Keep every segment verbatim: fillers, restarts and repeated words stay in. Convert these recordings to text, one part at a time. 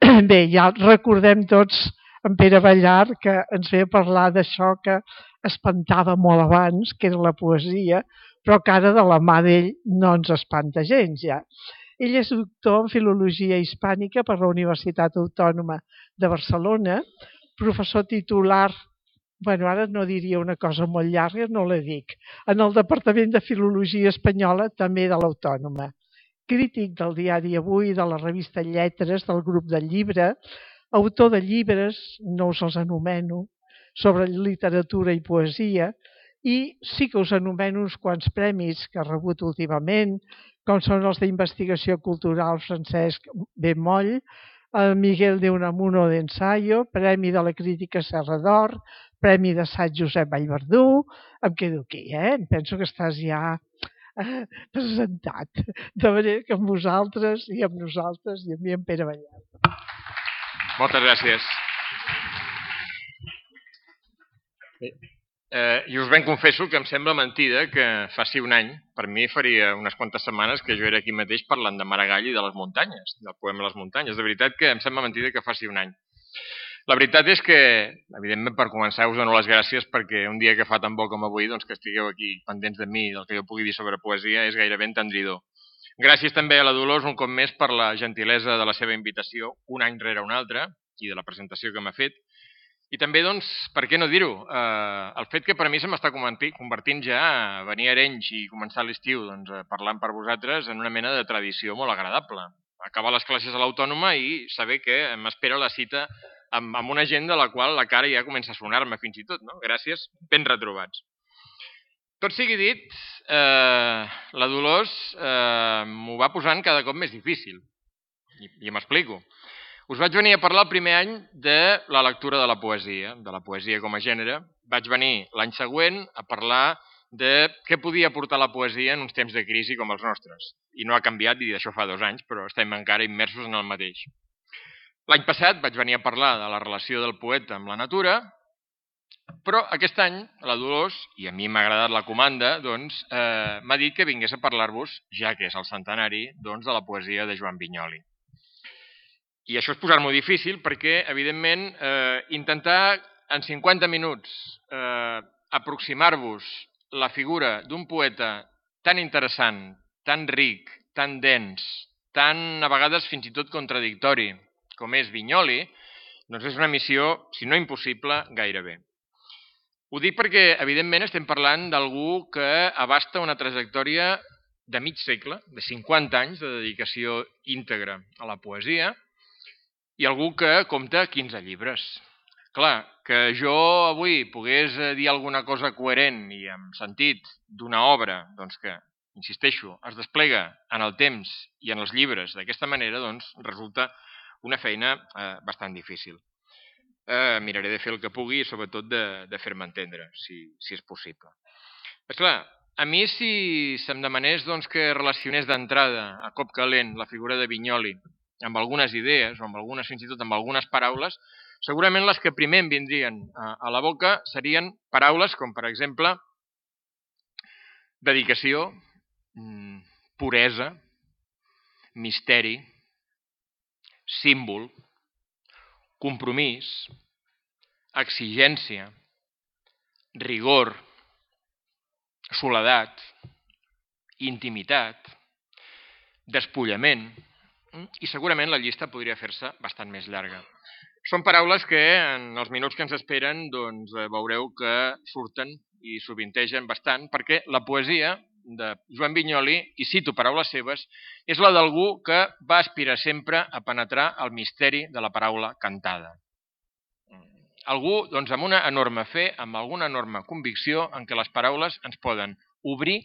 Bé, ja recordem tots en Pere Ballar, que ens ve a parlar d'això que espantava molt abans, que era la poesia, però que ara de la mà d'ell no ens espanta gens ja. Ell és doctor en Filologia Hispànica per la Universitat Autònoma de Barcelona, professor titular, bueno, ara no diria una cosa molt llarga, no la dic, en el Departament de Filologia Espanyola, també de l'Autònoma. Crític del diari Avui, de la revista Lletres, del grup del llibre, autor de llibres, no us els anomeno, sobre literatura i poesia, i sí que us anomeno uns quants premis que ha rebut últimament, com són els d'Investigació Cultural Francesc Bemoll, el Miguel de Unamuno d'Ensayo, Premi de la Crítica Serra d'Or, Premi d'Assaig Josep Vallverdú. Em quedo aquí, eh? Em penso que estàs ja presentat, de manera que amb vosaltres i amb nosaltres i amb mi en Pere Ballar. Moltes gràcies. Bé, eh, i us ben confesso que em sembla mentida que faci un any, per mi faria unes quantes setmanes que jo era aquí mateix parlant de Maragall i de les muntanyes, del poema Les muntanyes. De veritat que em sembla mentida que faci un any. La veritat és que, evidentment, per començar, us dono les gràcies perquè un dia que fa tan bo com avui, doncs que estigueu aquí pendents de mi i del que jo pugui dir sobre poesia és gairebé entendridor. Gràcies també a la Dolors un cop més per la gentilesa de la seva invitació, un any rere un altre, i de la presentació que m'ha fet. I també, doncs, per què no dir-ho, eh, el fet que per a mi se m'està convertint ja a venir a Arenys i començar l'estiu doncs, parlant per vosaltres en una mena de tradició molt agradable. Acabar les classes a l'Autònoma i saber que m'espera la cita amb, amb una gent de la qual la cara ja comença a sonar-me fins i tot, no? Gràcies, ben retrobats. Tot sigui dit, eh, la Dolors eh, m'ho va posant cada cop més difícil. I, i m'explico. Us vaig venir a parlar el primer any de la lectura de la poesia, de la poesia com a gènere. Vaig venir l'any següent a parlar de què podia aportar la poesia en uns temps de crisi com els nostres. I no ha canviat, i d'això fa dos anys, però estem encara immersos en el mateix. L'any passat vaig venir a parlar de la relació del poeta amb la natura, però aquest any la Dolors, i a mi m'ha agradat la comanda, doncs, eh, m'ha dit que vingués a parlar-vos, ja que és el centenari, doncs, de la poesia de Joan Vinyoli. I això és posar-m'ho difícil perquè, evidentment, eh, intentar en cinquanta minuts eh, aproximar-vos la figura d'un poeta tan interessant, tan ric, tan dens, tan a vegades fins i tot contradictori com és Vinyoli, doncs és una missió, si no impossible, gairebé. Ho dic perquè, evidentment, estem parlant d'algú que abasta una trajectòria de mig segle, de cinquanta anys de dedicació íntegra a la poesia, i algú que compta quinze llibres. Clar, que jo avui pogués dir alguna cosa coherent i amb sentit d'una obra doncs que, insisteixo, es desplega en el temps i en els llibres d'aquesta manera, doncs resulta una feina eh, bastant difícil. Eh, miraré de fer el que pugui i sobretot de, de fer-me entendre, si, si és possible. Esclar, a mi si se'm demanés doncs, que relacionés d'entrada a cop calent la figura de Vinyoli amb algunes idees, o amb algunes, fins i tot amb algunes paraules, segurament les que primer em vindrien a, a la boca serien paraules com, per exemple, dedicació, puresa, misteri, símbol, compromís, exigència, rigor, soledat, intimitat, despullament, i segurament la llista podria fer-se bastant més llarga. Són paraules que en els minuts que ens esperen doncs, veureu que surten i sovintegen bastant, perquè la poesia de Joan Vinyoli, i cito paraules seves, és la d'algú que va aspirar sempre a penetrar el misteri de la paraula cantada. Algú doncs, amb una enorme fe, amb alguna enorme convicció en què les paraules ens poden obrir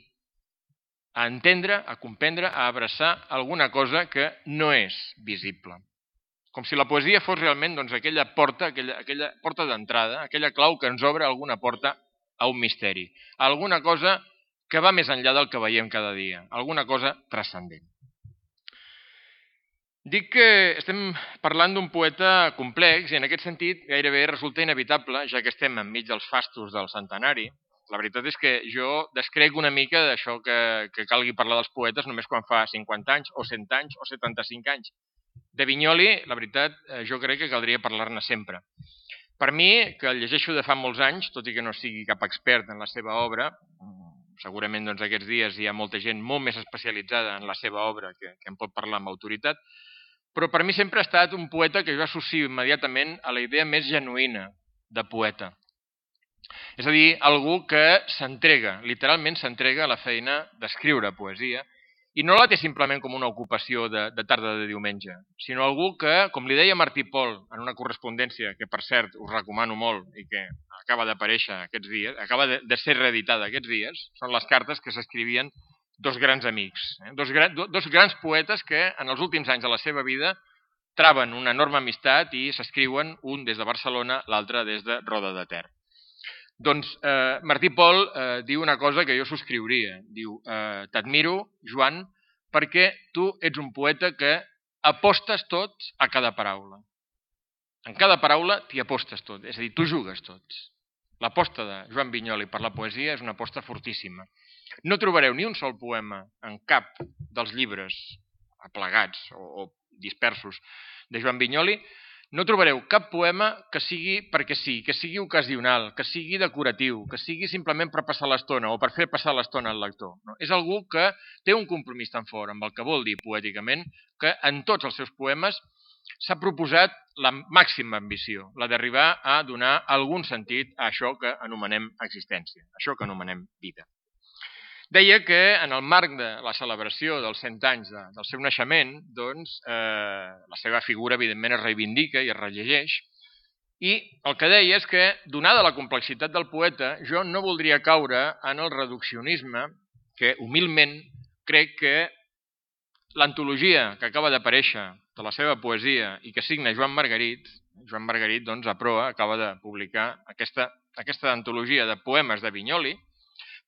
a entendre, a comprendre, a abraçar alguna cosa que no és visible. Com si la poesia fos realment doncs, aquella porta, aquella, aquella porta d'entrada, aquella clau que ens obre alguna porta a un misteri, a alguna cosa que va més enllà del que veiem cada dia, alguna cosa transcendent. Dic que estem parlant d'un poeta complex i en aquest sentit gairebé resulta inevitable, ja que estem enmig dels fastos del centenari. La veritat és que jo descrec una mica d'això que, que calgui parlar dels poetes només quan fa cinquanta anys, o cent anys, o setanta-cinc anys. De Vinyoli, la veritat, jo crec que caldria parlar-ne sempre. Per mi, que el llegeixo de fa molts anys, tot i que no sigui cap expert en la seva obra, segurament doncs, aquests dies hi ha molta gent molt més especialitzada en la seva obra que, que en pot parlar amb autoritat, però per mi sempre ha estat un poeta que jo associo immediatament a la idea més genuïna de poeta. És a dir, algú que s'entrega, literalment s'entrega a la feina d'escriure poesia, i no la té simplement com una ocupació de, de tarda de diumenge, sinó algú que, com li deia Martí Pol en una correspondència que, per cert, us recomano molt i que acaba d'aparèixer aquests dies, acaba de, de ser reeditada aquests dies, són les cartes que s'escrivien dos grans amics, eh? dos, gran, dos grans poetes que en els últims anys de la seva vida traven una enorme amistat i s'escriuen un des de Barcelona, l'altre des de Roda de Ter. Doncs eh, Martí Pol eh, diu una cosa que jo subscriuria. Diu, eh, t'admiro, Joan, perquè tu ets un poeta que apostes tots a cada paraula. En cada paraula t'hi apostes tot, és a dir, tu jugues tots. L'aposta de Joan Vinyoli per la poesia és una aposta fortíssima. No trobareu ni un sol poema en cap dels llibres aplegats o, o dispersos de Joan Vinyoli. No trobareu cap poema que sigui perquè sí, que sigui ocasional, que sigui decoratiu, que sigui simplement per passar l'estona o per fer passar l'estona al lector. No? És algú que té un compromís tan fort amb el que vol dir poèticament que en tots els seus poemes s'ha proposat la màxima ambició, la d'arribar a donar algun sentit a això que anomenem existència, això que anomenem vida. Deia que en el marc de la celebració dels cent anys de, del seu naixement, doncs, eh, la seva figura, evidentment, es reivindica i es rellegeix. I el que deia és que, donada la complexitat del poeta, jo no voldria caure en el reduccionisme que, humilment, crec que l'antologia que acaba d'aparèixer de la seva poesia i que signa Joan Margarit, Joan Margarit, doncs, a proa, acaba de publicar aquesta, aquesta antologia de poemes de Vinyoli,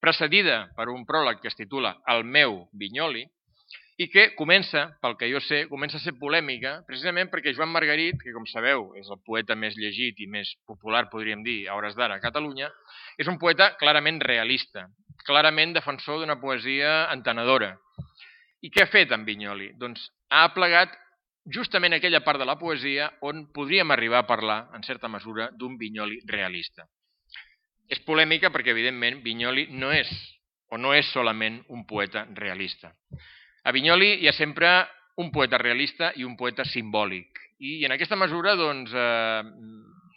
precedida per un pròleg que es titula El meu Vinyoli, i que comença, pel que jo sé, comença a ser polèmica, precisament perquè Joan Margarit, que com sabeu és el poeta més llegit i més popular, podríem dir, a hores d'ara a Catalunya, és un poeta clarament realista, clarament defensor d'una poesia entenedora. I què ha fet en Vinyoli? Doncs ha aplegat justament aquella part de la poesia on podríem arribar a parlar, en certa mesura, d'un Vinyoli realista. És polèmica perquè, evidentment, Vinyoli no és, o no és solament un poeta realista. A Vinyoli hi ha sempre un poeta realista i un poeta simbòlic. I en aquesta mesura, doncs, eh,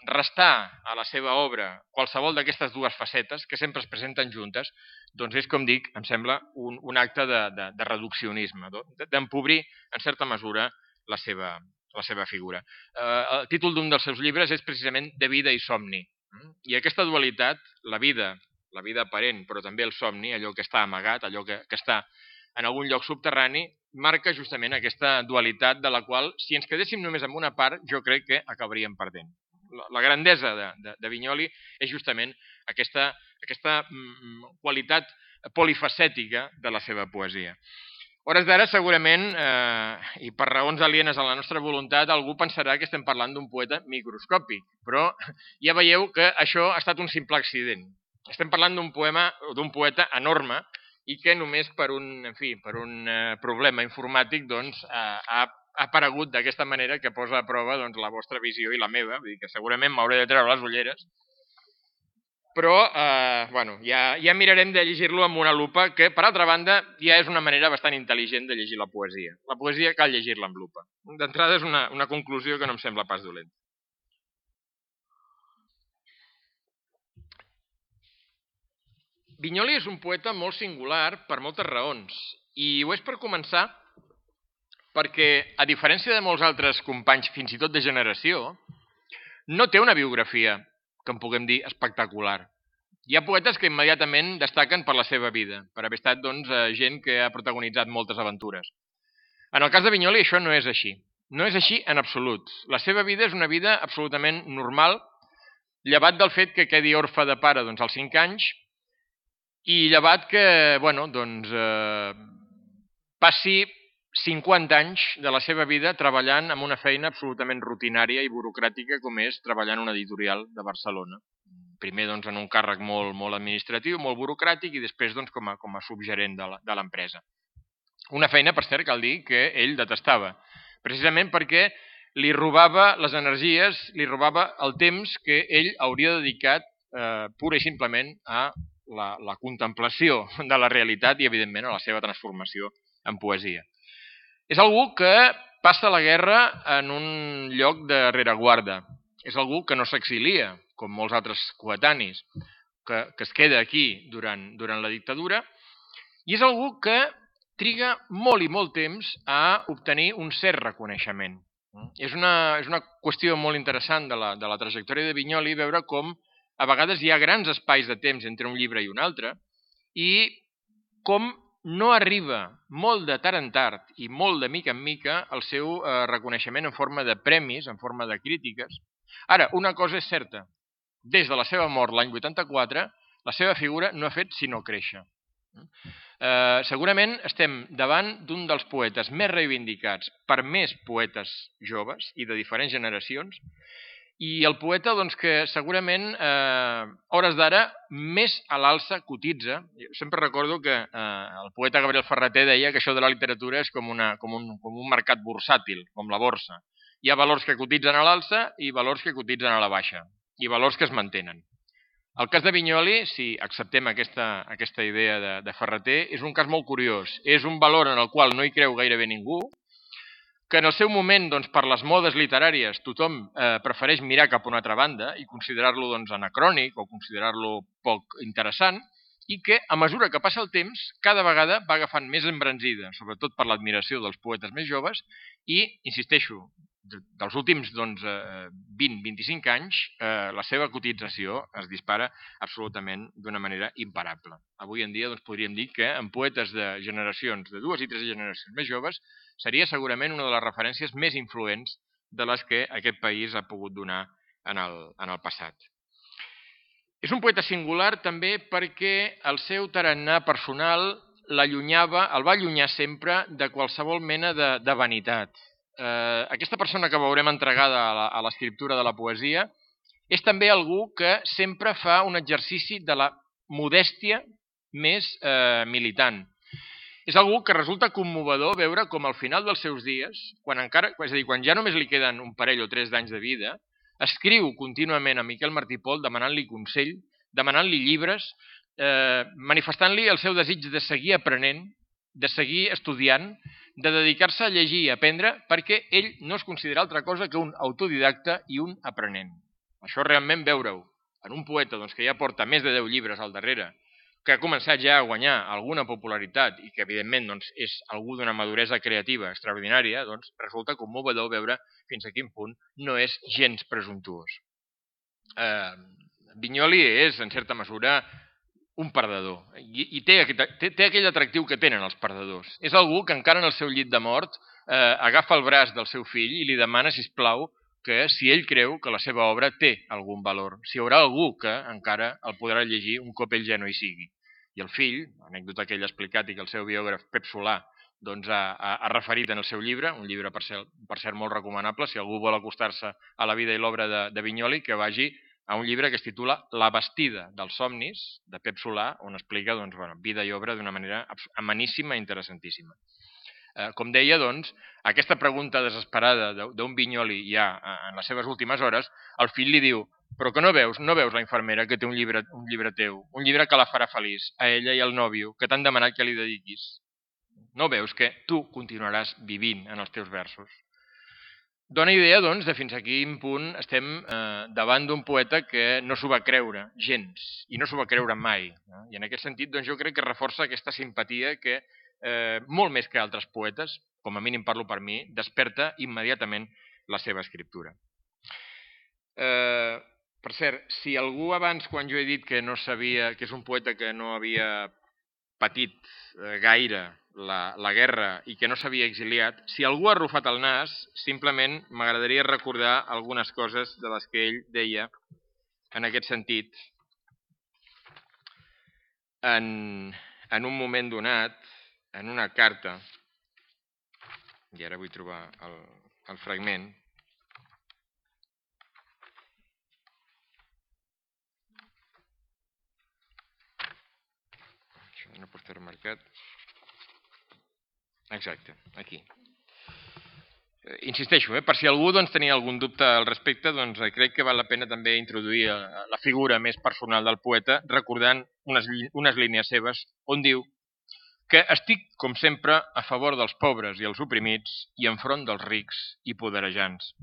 restar a la seva obra qualsevol d'aquestes dues facetes, que sempre es presenten juntes, doncs és, com dic, em sembla, un, un acte de, de, de reduccionisme, d'empobrir, en certa mesura, la seva, la seva figura. Eh, el títol d'un dels seus llibres és precisament De vida i somni. I aquesta dualitat, la vida, la vida aparent, però també el somni, allò que està amagat, allò que, que està en algun lloc subterrani, marca justament aquesta dualitat de la qual, si ens quedéssim només amb una part, jo crec que acabaríem perdent. La, la grandesa de, de, de Vinyoli és justament aquesta, aquesta mm, qualitat polifacètica de la seva poesia. A hores d'ara, segurament, eh, i per raons alienes a la nostra voluntat, algú pensarà que estem parlant d'un poeta microscòpic, però ja veieu que això ha estat un simple accident. Estem parlant d'un poema o d'un poeta enorme i que només per un, en fi, per un eh, problema informàtic doncs, eh, ha, ha aparegut d'aquesta manera que posa a prova doncs, la vostra visió i la meva, vull dir que segurament m'hauré de treure les ulleres, però eh, bueno, ja, ja mirarem de llegir-lo amb una lupa, que, per altra banda, ja és una manera bastant intel·ligent de llegir la poesia. La poesia cal llegir-la amb lupa. D'entrada és una, una conclusió que no em sembla pas dolenta. Vinyoli és un poeta molt singular per moltes raons, i ho és per començar perquè, a diferència de molts altres companys, fins i tot de generació, no té una biografia que en puguem dir espectacular. Hi ha poetes que immediatament destaquen per la seva vida, per haver estat doncs, gent que ha protagonitzat moltes aventures. En el cas de Vinyoli això no és així. No és així en absolut. La seva vida és una vida absolutament normal, llevat del fet que quedi orfe de pare doncs, als cinc anys i llevat que bueno, doncs, eh, passi cinquanta anys de la seva vida treballant en una feina absolutament rutinària i burocràtica com és treballar en una editorial de Barcelona. Primer doncs, en un càrrec molt, molt administratiu, molt burocràtic i després doncs, com, a, com a subgerent de l'empresa. Una feina, per cert, cal dir que ell detestava, precisament perquè li robava les energies, li robava el temps que ell hauria dedicat eh, pura i simplement a la, la contemplació de la realitat i, evidentment, a la seva transformació en poesia. És algú que passa la guerra en un lloc de rereguarda. És algú que no s'exilia, com molts altres coetanis, que, que es queda aquí durant, durant la dictadura, i és algú que triga molt i molt temps a obtenir un cert reconeixement. És una, és una qüestió molt interessant de la, de la trajectòria de Vinyoli veure com a vegades hi ha grans espais de temps entre un llibre i un altre i com no arriba molt de tard en tard i molt de mica en mica el seu eh, reconeixement en forma de premis, en forma de crítiques. Ara, una cosa és certa. Des de la seva mort l'any vuitanta-quatre, la seva figura no ha fet sinó créixer. Eh, segurament estem davant d'un dels poetes més reivindicats per més poetes joves i de diferents generacions, i el poeta doncs, que segurament eh, a hores d'ara més a l'alça cotitza. Jo sempre recordo que eh, el poeta Gabriel Ferrater deia que això de la literatura és com, una, com, un, com un mercat bursàtil, com la borsa. Hi ha valors que cotitzen a l'alça i valors que cotitzen a la baixa, i valors que es mantenen. El cas de Vinyoli, si acceptem aquesta, aquesta idea de, de Ferrater, és un cas molt curiós. És un valor en el qual no hi creu gairebé ningú, que en el seu moment, doncs, per les modes literàries, tothom eh, prefereix mirar cap a una altra banda i considerar-lo doncs, anacrònic o considerar-lo poc interessant, i que, a mesura que passa el temps, cada vegada va agafant més embranzida, sobretot per l'admiració dels poetes més joves, i, insisteixo, dels últims doncs, vint a vint-i-cinc anys, eh, la seva cotització es dispara absolutament d'una manera imparable. Avui en dia doncs, podríem dir que en poetes de generacions, de dues i tres generacions més joves, seria segurament una de les referències més influents de les que aquest país ha pogut donar en el, en el passat. És un poeta singular també perquè el seu tarannà personal l'allunyava, el va allunyar sempre de qualsevol mena de, de vanitat. Eh, aquesta persona que veurem entregada a l'escriptura de la poesia és també algú que sempre fa un exercici de la modèstia més eh, militant. És algú que resulta commovedor veure com al final dels seus dies, quan, encara, és a dir, quan ja només li queden un parell o tres d'anys de vida, escriu contínuament a Miquel Martí i Pol demanant-li consell, demanant-li llibres, eh, manifestant-li el seu desig de seguir aprenent, de seguir estudiant, de dedicar-se a llegir i a aprendre, perquè ell no es considera altra cosa que un autodidacta i un aprenent. Això realment veure-ho en un poeta doncs, que ja porta més de deu llibres al darrere, que ha començat ja a guanyar alguna popularitat i que, evidentment, doncs, és algú d'una maduresa creativa extraordinària, doncs, resulta commovedor veure fins a quin punt no és gens presumptuós. Eh, Vinyoli és, en certa mesura, un perdedor i, i té, té, té aquell atractiu que tenen els perdedors. És algú que encara en el seu llit de mort eh, agafa el braç del seu fill i li demana, sisplau, que si ell creu que la seva obra té algun valor, si hi haurà algú que encara el podrà llegir un cop ell ja no hi sigui. I el fill, l'anècdota que ell ha explicat i que el seu biògraf Pep Solà doncs, ha, ha, ha referit en el seu llibre, un llibre per cert, per cert molt recomanable, si algú vol acostar-se a la vida i l'obra de, de Vinyoli, que vagi a un llibre que es titula La bastida dels somnis, de Pep Solà, on explica doncs, bueno, vida i obra d'una manera ameníssima i interessantíssima. Eh, com deia, doncs, aquesta pregunta desesperada d'un Vinyoli ja en les seves últimes hores, el fill li diu: però que no veus, no veus la infermera que té un llibre, un llibre teu, un llibre que la farà feliç, a ella i al nòvio, que t'han demanat que li dediquis. No veus que tu continuaràs vivint en els teus versos? Dóna idea, doncs, de fins a quin punt estem eh, davant d'un poeta que no s'ho va creure gens, i no s'ho va creure mai. No? I en aquest sentit, doncs, jo crec que reforça aquesta simpatia que, eh, molt més que altres poetes, com a mínim parlo per mi, desperta immediatament la seva escriptura. Eh, per cert, si algú abans, quan jo he dit que no sabia, que és un poeta que no havia patit eh, gaire la, la guerra i que no s'havia exiliat, si algú ha arrufat el nas, simplement m'agradaria recordar algunes coses de les que ell deia en aquest sentit en, en un moment donat, en una carta, i ara vull trobar el, el fragment. Això no pot estar marcat. Exacte, aquí. insisteixo, eh, per si algú doncs, tenia algun dubte al respecte, doncs, crec que val la pena també introduir la figura més personal del poeta, recordant unes, unes línies seves on diu que estic, com sempre, a favor dels pobres i els oprimits i enfront dels rics i poderejants.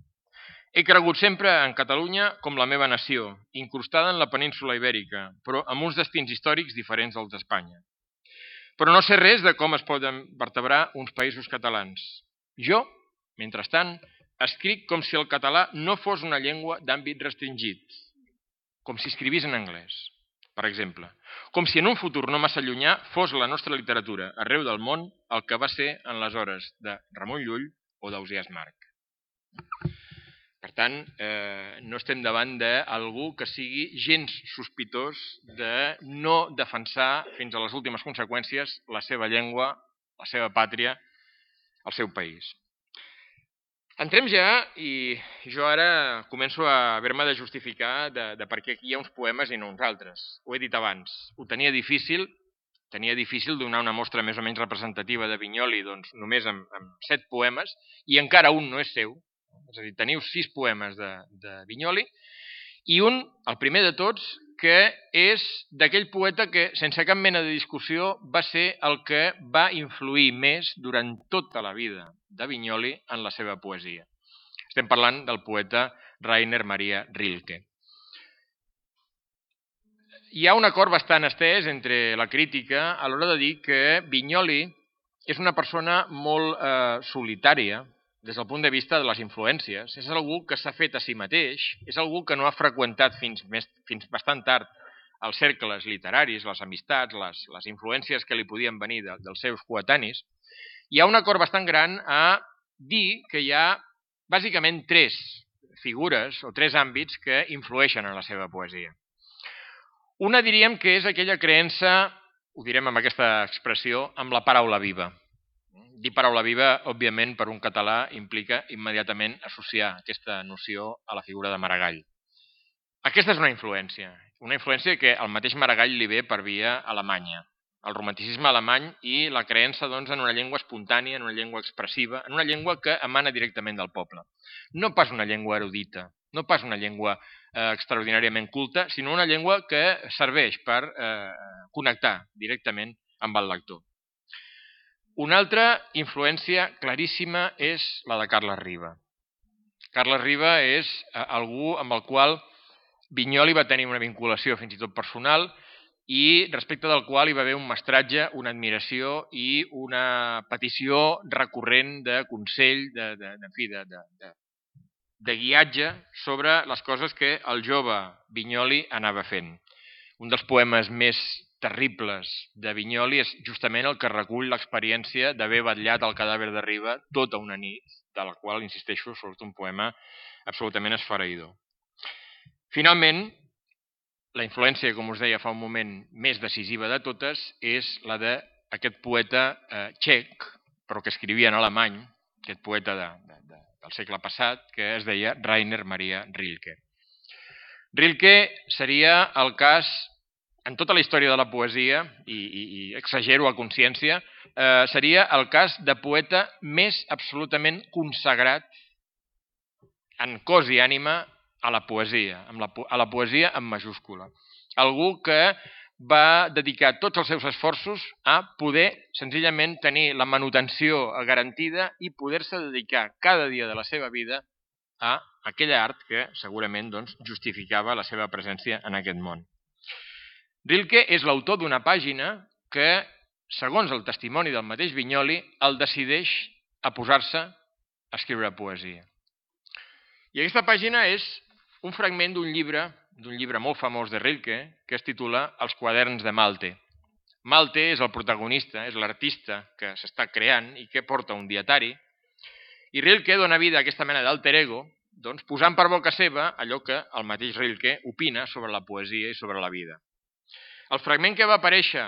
He cregut sempre en Catalunya com la meva nació, incrustada en la península ibèrica, però amb uns destins històrics diferents dels d'Espanya. Però no sé res de com es poden vertebrar uns països catalans. Jo, mentrestant, escric com si el català no fos una llengua d'àmbit restringit, com si escrivís en anglès, per exemple. Com si en un futur no massa llunyà fos la nostra literatura, arreu del món, el que va ser en les hores de Ramon Llull o d'Ausiàs Marc. Per tant, eh, no estem davant d'algú que sigui gens sospitós de no defensar fins a les últimes conseqüències la seva llengua, la seva pàtria, el seu país. Entrem ja i jo ara començo a haver-me de justificar de, de per què aquí hi ha uns poemes i no uns altres. Ho he dit abans, ho tenia difícil, tenia difícil donar una mostra més o menys representativa de Vinyoli doncs, només amb, amb set poemes i encara un no és seu. És a dir, teniu sis poemes de, de Vinyoli i un, el primer de tots, que és d'aquell poeta que, sense cap mena de discussió, va ser el que va influir més durant tota la vida de Vinyoli en la seva poesia. Estem parlant del poeta Rainer Maria Rilke. Hi ha un acord bastant estès entre la crítica a l'hora de dir que Vinyoli és una persona molt eh, solitària, des del punt de vista de les influències. És algú que s'ha fet a si mateix, és algú que no ha freqüentat fins, més, fins bastant tard els cercles literaris, les amistats, les, les influències que li podien venir de, dels seus coetanis. Hi ha un acord bastant gran a dir que hi ha bàsicament tres figures o tres àmbits que influeixen en la seva poesia. Una diríem que és aquella creença, ho direm amb aquesta expressió, amb la paraula viva. Dir paraula viva, òbviament, per un català implica immediatament associar aquesta noció a la figura de Maragall. Aquesta és una influència, una influència que al mateix Maragall li ve per via alemanya, el romanticisme alemany i la creença doncs, en una llengua espontània, en una llengua expressiva, en una llengua que emana directament del poble. No pas una llengua erudita, no pas una llengua eh, extraordinàriament culta, sinó una llengua que serveix per eh, connectar directament amb el lector. Una altra influència claríssima és la de Carles Riba. Carles Riba és algú amb el qual Vinyoli va tenir una vinculació fins i tot personal i respecte del qual hi va haver un mestratge, una admiració i una petició recurrent de consell, de, de, de, de, de, de, de guiatge sobre les coses que el jove Vinyoli anava fent. Un dels poemes més terribles de Vinyoli és justament el que recull l'experiència d'haver vetllat el cadàver de Riba tota una nit, de la qual, insisteixo, surt un poema absolutament esfereïdor. Finalment, la influència, com us deia fa un moment, més decisiva de totes és la d'aquest poeta eh, txec, però que escrivia en alemany, aquest poeta de, de, de, del segle passat, que es deia Rainer Maria Rilke. Rilke seria el cas, en tota la història de la poesia, i, i, i exagero a consciència, eh, seria el cas de poeta més absolutament consagrat en cos i ànima a la poesia, amb la, a la poesia en majúscula. Algú que va dedicar tots els seus esforços a poder senzillament tenir la manutenció garantida i poder-se dedicar cada dia de la seva vida a aquella art que segurament doncs, justificava la seva presència en aquest món. Rilke és l'autor d'una pàgina que, segons el testimoni del mateix Vinyoli, el decideix a posar-se a escriure poesia. I aquesta pàgina és un fragment d'un llibre, d'un llibre molt famós de Rilke, que es titula Els quaderns de Malte. Malte és el protagonista, és l'artista que s'està creant i que porta un dietari, i Rilke dona vida a aquesta mena d'alter ego, doncs, posant per boca seva allò que el mateix Rilke opina sobre la poesia i sobre la vida. El fragment que va aparèixer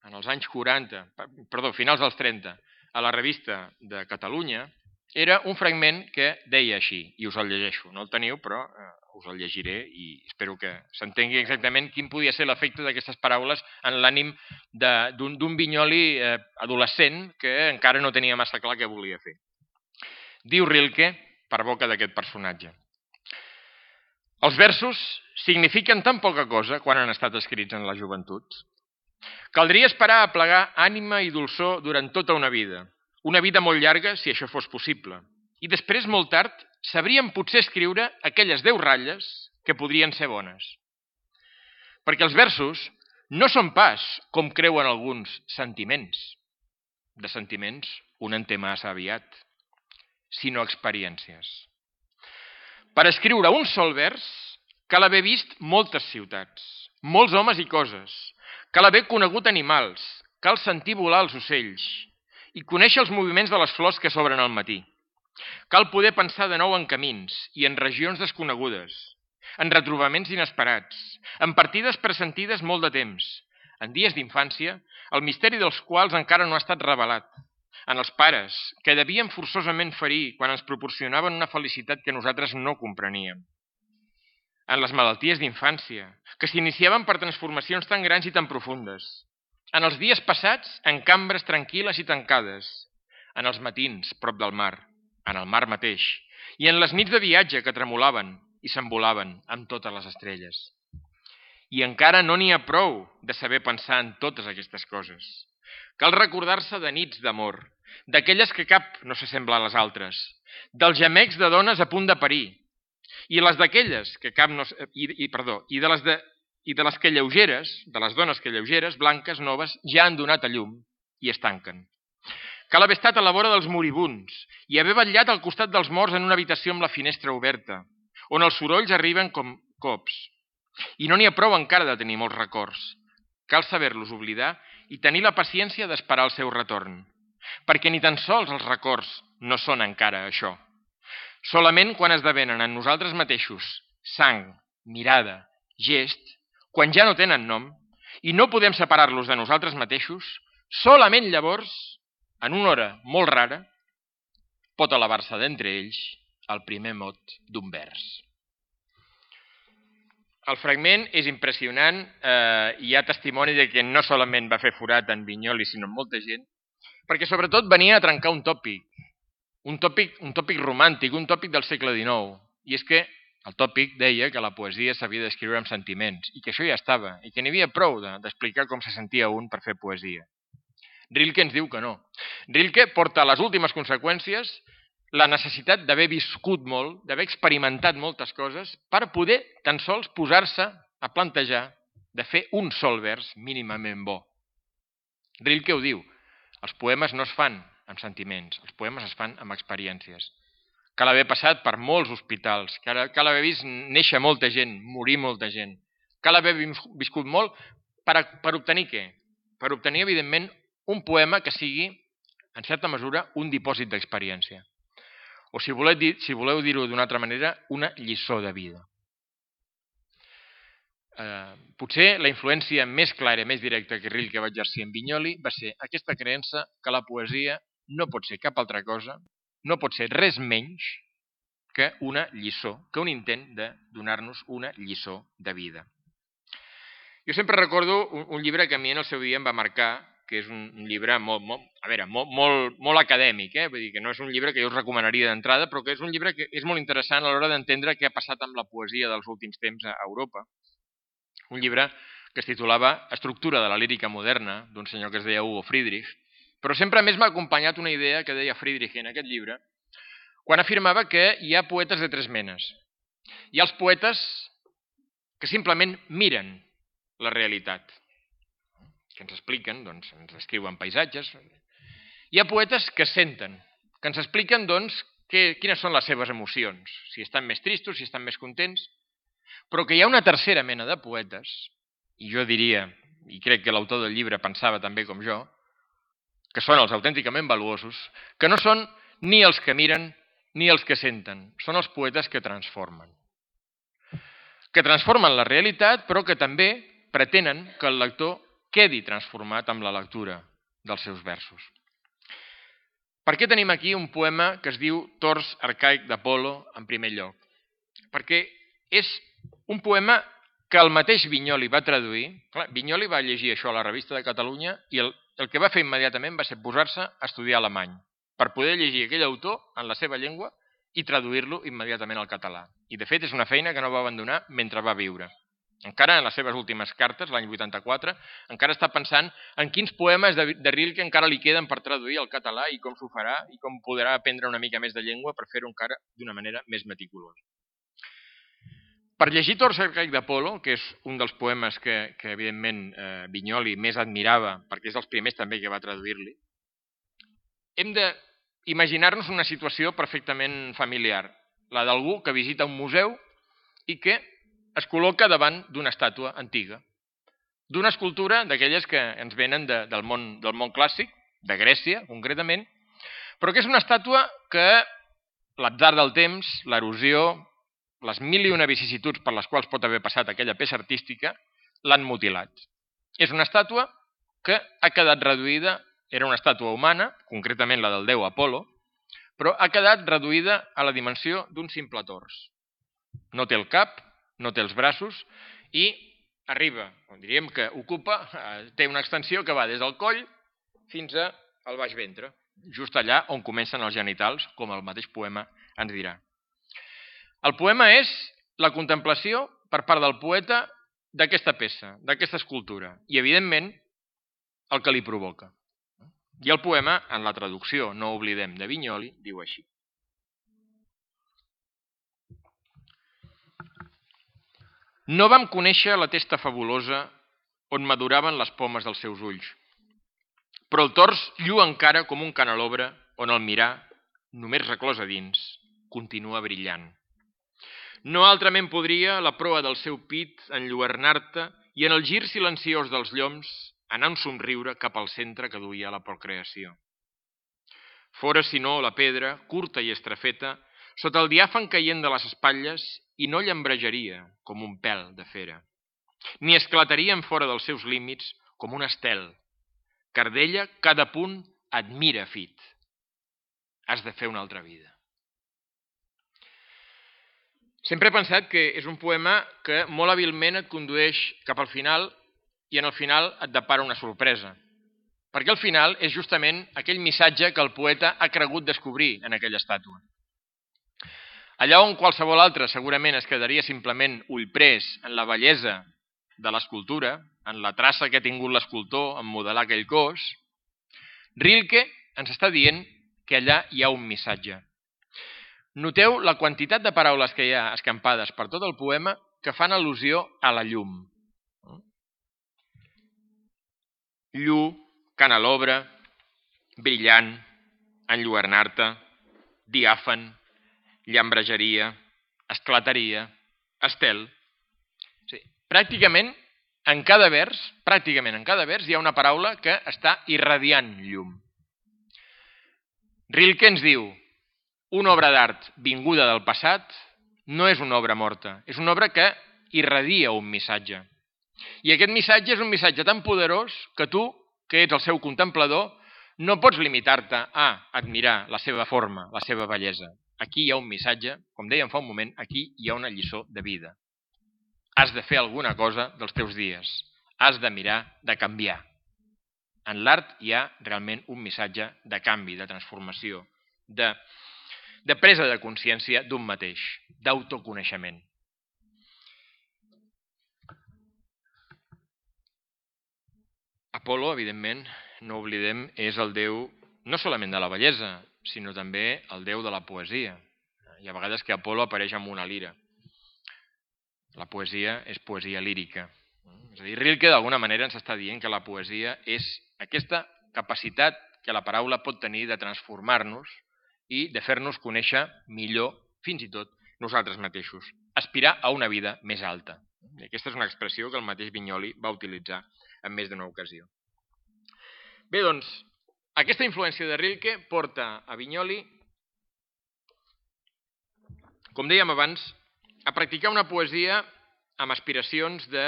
en els anys quaranta, perdó, finals dels trenta, a la revista de Catalunya, era un fragment que deia així, i us el llegeixo. No el teniu, però eh, us el llegiré i espero que s'entengui exactament quin podia ser l'efecte d'aquestes paraules en l'ànim d'un Vinyoli eh, adolescent que encara no tenia massa clar què volia fer. Diu Rilke per boca d'aquest personatge. Els versos signifiquen tan poca cosa quan han estat escrits en la joventut. Caldria esperar a plegar ànima i dolçor durant tota una vida, una vida molt llarga si això fos possible, i després, molt tard, sabríem potser escriure aquelles deu ratlles que podrien ser bones. Perquè els versos no són pas, com creuen alguns, sentiments. De sentiments un en té massa aviat, sinó experiències. Per escriure un sol vers cal haver vist moltes ciutats, molts homes i coses, cal haver conegut animals, cal sentir volar els ocells i conèixer els moviments de les flors que s'obren al matí. Cal poder pensar de nou en camins i en regions desconegudes, en retrobaments inesperats, en partides pressentides molt de temps, en dies d'infància, el misteri dels quals encara no ha estat revelat, en els pares, que devien forçosament ferir quan ens proporcionaven una felicitat que nosaltres no compreníem, en les malalties d'infància, que s'iniciaven per transformacions tan grans i tan profundes, en els dies passats en cambres tranquil·les i tancades, en els matins prop del mar, en el mar mateix, i en les nits de viatge que tremolaven i s'envolaven amb totes les estrelles. I encara no n'hi ha prou de saber pensar en totes aquestes coses. Cal recordar-se de nits d'amor, d'aquelles que cap no s'assembla a les altres, dels gemecs de dones a punt de parir, i les d'aquelles que cap no... I, i, perdó, i de les de, i de les que lleugeres, de les dones que lleugeres, blanques, noves, ja han donat a llum i es tanquen. Cal haver estat a la vora dels moribunds i haver vetllat al costat dels morts en una habitació amb la finestra oberta, on els sorolls arriben com cops. I no n'hi ha prou encara de tenir molts records. Cal saber-los oblidar i tenir la paciència d'esperar el seu retorn, perquè ni tan sols els records no són encara això. Solament quan esdevenen en nosaltres mateixos sang, mirada, gest, quan ja no tenen nom, i no podem separar-los de nosaltres mateixos, solament llavors, en una hora molt rara, pot elevar-se d'entre ells el primer mot d'un vers. El fragment és impressionant eh, i hi ha testimoni de que no solament va fer forat en Vinyoli, sinó en molta gent, perquè sobretot venia a trencar un tòpic, un tòpic, un tòpic romàntic, un tòpic del segle dinou, i és que el tòpic deia que la poesia s'havia d'escriure amb sentiments, i que això ja estava, i que n'hi havia prou d'explicar com se sentia un per fer poesia. Rilke ens diu que no. Rilke porta a les últimes conseqüències la necessitat d'haver viscut molt, d'haver experimentat moltes coses, per poder tan sols posar-se a plantejar de fer un sol vers mínimament bo. Rilke ho diu, els poemes no es fan amb sentiments, els poemes es fan amb experiències. Cal haver passat per molts hospitals, cal, cal haver vist néixer molta gent, morir molta gent, cal haver viscut molt per, per obtenir què? Per obtenir, evidentment, un poema que sigui, en certa mesura, un dipòsit d'experiència. O si voleu, dir, si voleu dir-ho d'una altra manera, una lliçó de vida. Eh, potser la influència més clara i més directa que Rilke va exercir en Vinyoli va ser aquesta creença que la poesia no pot ser cap altra cosa, no pot ser res menys que una lliçó, que un intent de donar-nos una lliçó de vida. Jo sempre recordo un, un llibre que a mi en el seu dia em va marcar, que és un, un llibre molt, molt, a veure, molt, molt, molt acadèmic, eh? Vull dir que no és un llibre que jo us recomanaria d'entrada, però que és un llibre que és molt interessant a l'hora d'entendre què ha passat amb la poesia dels últims temps a Europa. Un llibre que es titulava Estructura de la lírica moderna, d'un senyor que es deia Hugo Friedrich, però sempre més m'ha acompanyat una idea que deia Friedrich en aquest llibre, quan afirmava que hi ha poetes de tres menes. Hi ha els poetes que simplement miren la realitat, que ens expliquen, doncs, ens escriuen paisatges. Hi ha poetes que senten, que ens expliquen, doncs, que, quines són les seves emocions, si estan més tristos, si estan més contents, però que hi ha una tercera mena de poetes, i jo diria, i crec que l'autor del llibre pensava també com jo, que són els autènticament valuosos, que no són ni els que miren ni els que senten, són els poetes que transformen. Que transformen la realitat, però que també pretenen que el lector quedi transformat amb la lectura dels seus versos. Per què tenim aquí un poema que es diu Tors arcaic d'Apol·lo en primer lloc? Perquè és un poema que el mateix Vinyoli va traduir. Clar, Vinyoli va llegir això a la Revista de Catalunya i el, el que va fer immediatament va ser posar-se a estudiar alemany. per poder llegir aquell autor en la seva llengua i traduir-lo immediatament al català. I, de fet, és una feina que no va abandonar mentre va viure. Encara en les seves últimes cartes, l'any vuitanta-quatre, encara està pensant en quins poemes de Rilke encara li queden per traduir al català i com s'ho farà i com podrà aprendre una mica més de llengua per fer-ho encara d'una manera més meticulosa. Per llegir Tors arcaic d'Apol·lo, que és un dels poemes que, que evidentment, eh, Vinyoli més admirava, perquè és dels primers també que va traduir-li, hem d'imaginar-nos una situació perfectament familiar, la d'algú que visita un museu i que es col·loca davant d'una estàtua antiga, d'una escultura d'aquelles que ens venen de, del, món, del món clàssic, de Grècia, concretament, però que és una estàtua que l'atzar del temps, l'erosió, les mil i una vicissituds per les quals pot haver passat aquella peça artística, l'han mutilat. És una estàtua que ha quedat reduïda, era una estàtua humana, concretament la del déu Apol·lo, però ha quedat reduïda a la dimensió d'un simple tors. No té el cap, no té els braços i arriba, o diríem que ocupa, té una extensió que va des del coll fins al baix ventre, just allà on comencen els genitals, com el mateix poema ens dirà. El poema és la contemplació per part del poeta d'aquesta peça, d'aquesta escultura, i evidentment el que li provoca. I el poema, en la traducció, no oblidem, de Vinyoli, diu així. No vam conèixer la testa fabulosa on maduraven les pomes dels seus ulls, però el tors lluu encara com un canelobre on el mirar, només reclòs a dins, continua brillant. No altrament podria la proa del seu pit enlluernar-te i en el gir silenciós dels lloms anar un somriure cap al centre que duia la procreació. Fora, si no, la pedra, curta i estrafeta, sota el diàfan caient de les espatlles i no llambrejaria com un pèl de fera, ni esclataria en fora dels seus límits com un estel, car d'ella cada punt admira fit. Has de fer una altra vida. Sempre he pensat que és un poema que molt hàbilment et condueix cap al final i en el final et depara una sorpresa. Perquè al final és justament aquell missatge que el poeta ha cregut descobrir en aquella estàtua. Allà on qualsevol altre segurament es quedaria simplement ullprès en la bellesa de l'escultura, en la traça que ha tingut l'escultor en modelar aquell cos, Rilke ens està dient que allà hi ha un missatge. Noteu la quantitat de paraules que hi ha escampades per tot el poema que fan al·lusió a la llum. Llu, canelobre, brillant, enlluernar-te, diàfan, llambrejaria, esclataria, estel. Sí, pràcticament en cada vers, pràcticament en cada vers hi ha una paraula que està irradiant llum. Rilke ens diu: una obra d'art vinguda del passat no és una obra morta, és una obra que irradia un missatge. I aquest missatge és un missatge tan poderós que tu, que ets el seu contemplador, no pots limitar-te a admirar la seva forma, la seva bellesa. Aquí hi ha un missatge, com dèiem fa un moment, aquí hi ha una lliçó de vida. Has de fer alguna cosa dels teus dies. Has de mirar de canviar. En l'art hi ha realment un missatge de canvi, de transformació, de, de presa de consciència d'un mateix, d'autoconeixement. Apol·lo, evidentment, no oblidem, és el déu no solament de la bellesa, sinó també el déu de la poesia. Hi ha vegades que Apol·lo apareix amb una lira. La poesia és poesia lírica. És a dir, Rilke d'alguna manera ens està dient que la poesia és aquesta capacitat que la paraula pot tenir de transformar-nos i de fer-nos conèixer millor, fins i tot, nosaltres mateixos. Aspirar a una vida més alta. I aquesta és una expressió que el mateix Vinyoli va utilitzar en més d'una ocasió. Bé, doncs, aquesta influència de Rilke porta a Vinyoli, com dèiem abans, a practicar una poesia amb aspiracions de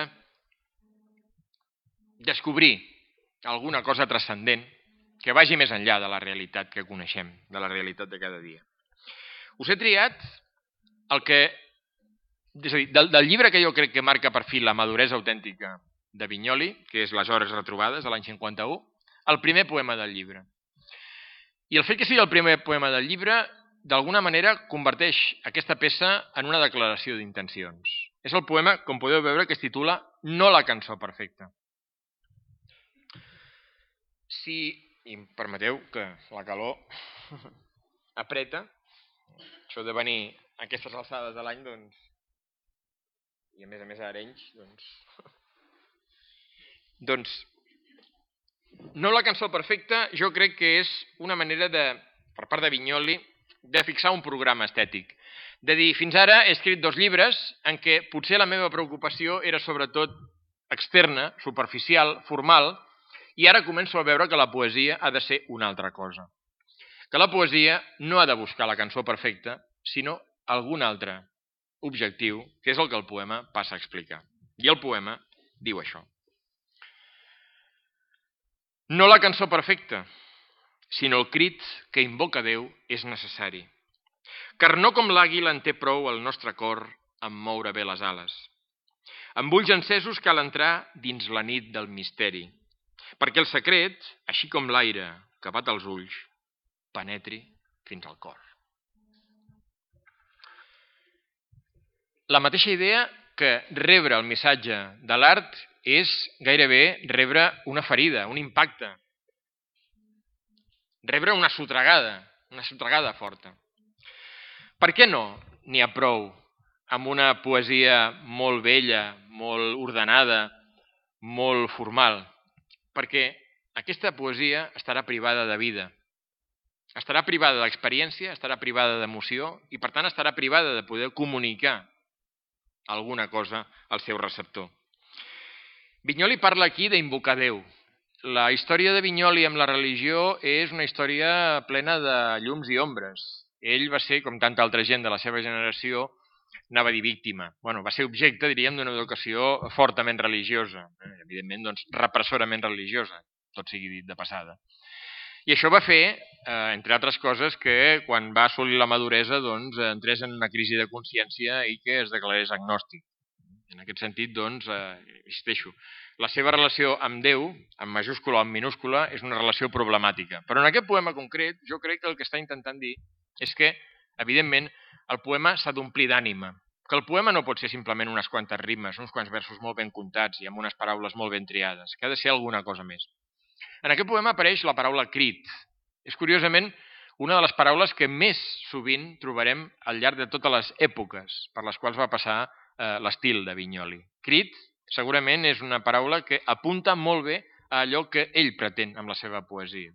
descobrir alguna cosa transcendent que vagi més enllà de la realitat que coneixem, de la realitat de cada dia. Us he triat el que, és a dir, del, del llibre que jo crec que marca per fi la maduresa autèntica de Vinyoli, que és Les hores retrobades, de l'any cinquanta-u, el primer poema del llibre. I el fet que sigui el primer poema del llibre, d'alguna manera, converteix aquesta peça en una declaració d'intencions. És el poema, com podeu veure, que es titula No la cançó perfecta. Si, i em permeteu que la calor apreta, això de venir a aquestes alçades de l'any, doncs, i a més a més a Arenys, doncs, doncs, No la cançó perfecta jo crec que és una manera de, per part de Vinyoli, de fixar un programa estètic. De dir, fins ara he escrit dos llibres en què potser la meva preocupació era sobretot externa, superficial, formal, i ara començo a veure que la poesia ha de ser una altra cosa. Que la poesia no ha de buscar la cançó perfecta, sinó algun altre objectiu, que és el que el poema passa a explicar. I el poema diu això. No la cançó perfecta, sinó el crit que invoca Déu és necessari. Car no com l'àguila en té prou el nostre cor en moure bé les ales. Amb ulls encesos cal entrar dins la nit del misteri, perquè el secret, així com l'aire que bat els ulls, penetri fins al cor. La mateixa idea que rebre el missatge de l'art és gairebé rebre una ferida, un impacte. Rebre una sotragada, una sotragada forta. Per què no n'hi ha prou amb una poesia molt bella, molt ordenada, molt formal? Perquè aquesta poesia estarà privada de vida, estarà privada d'experiència, estarà privada d'emoció i per tant estarà privada de poder comunicar alguna cosa al seu receptor. Vinyoli parla aquí d'invocar Déu. La història de Vinyoli amb la religió és una història plena de llums i ombres. Ell va ser, com tanta altra gent de la seva generació, anava a dir víctima. Bueno, va ser objecte, diríem, d'una educació fortament religiosa, evidentment, doncs, repressorament religiosa, tot sigui dit de passada. I això va fer, eh, entre altres coses, que quan va assolir la maduresa doncs, entrés en una crisi de consciència i que es declarés agnòstic. En aquest sentit, doncs, eh, insisteixo, la seva relació amb Déu, en majúscula o en minúscula, és una relació problemàtica. Però en aquest poema concret, jo crec que el que està intentant dir és que, evidentment, el poema s'ha d'omplir d'ànima, que el poema no pot ser simplement unes quantes rimes, uns quants versos molt ben comptats i amb unes paraules molt ben triades, que ha de ser alguna cosa més. En aquest poema apareix la paraula crit. És curiosament una de les paraules que més sovint trobarem al llarg de totes les èpoques per les quals va passar eh, l'estil de Vinyoli. Crit, segurament, és una paraula que apunta molt bé a allò que ell pretén amb la seva poesia.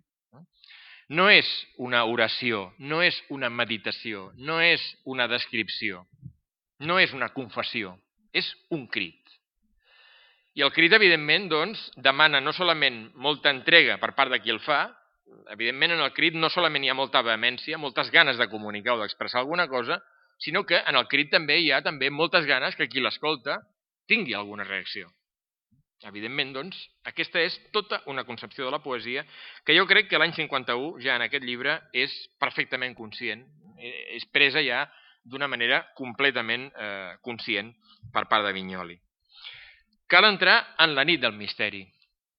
No és una oració, no és una meditació, no és una descripció, no és una confessió, és un crit. I el crit, evidentment, doncs, demana no solament molta entrega per part de qui el fa, evidentment en el crit no solament hi ha molta vehemència, moltes ganes de comunicar o d'expressar alguna cosa, sinó que en el crit també hi ha també moltes ganes que qui l'escolta tingui alguna reacció. Evidentment, doncs, aquesta és tota una concepció de la poesia que jo crec que l'any cinquanta-u, ja en aquest llibre, és perfectament conscient, és presa ja d'una manera completament eh, conscient per part de Vinyoli. Cal entrar en la nit del misteri.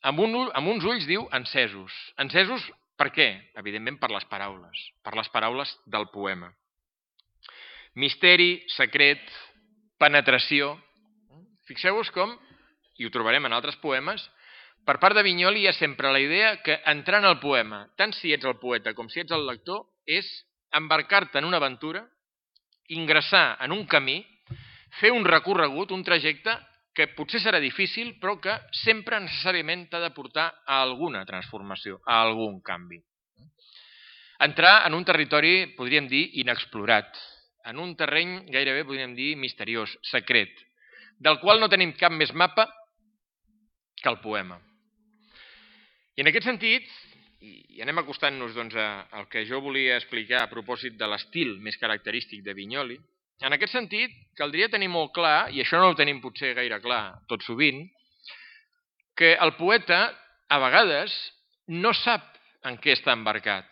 Amb, un, amb uns ulls, diu, encesos. Encesos per què? Evidentment per les paraules, per les paraules del poema. Misteri, secret, penetració. Fixeu-vos com, i ho trobarem en altres poemes, per part de Vinyoli hi ha sempre la idea que entrar en el poema, tant si ets el poeta com si ets el lector, és embarcar-te en una aventura, ingressar en un camí, fer un recorregut, un trajecte que potser serà difícil, però que sempre necessàriament t'ha de portar a alguna transformació, a algun canvi. Entrar en un territori, podríem dir, inexplorat, en un terreny gairebé, podríem dir, misteriós, secret, del qual no tenim cap més mapa que el poema. I en aquest sentit, i anem acostant-nos doncs, al que jo volia explicar a propòsit de l'estil més característic de Vinyoli, en aquest sentit, caldria tenir molt clar, i això no ho tenim potser gaire clar tot sovint, que el poeta, a vegades, no sap en què està embarcat.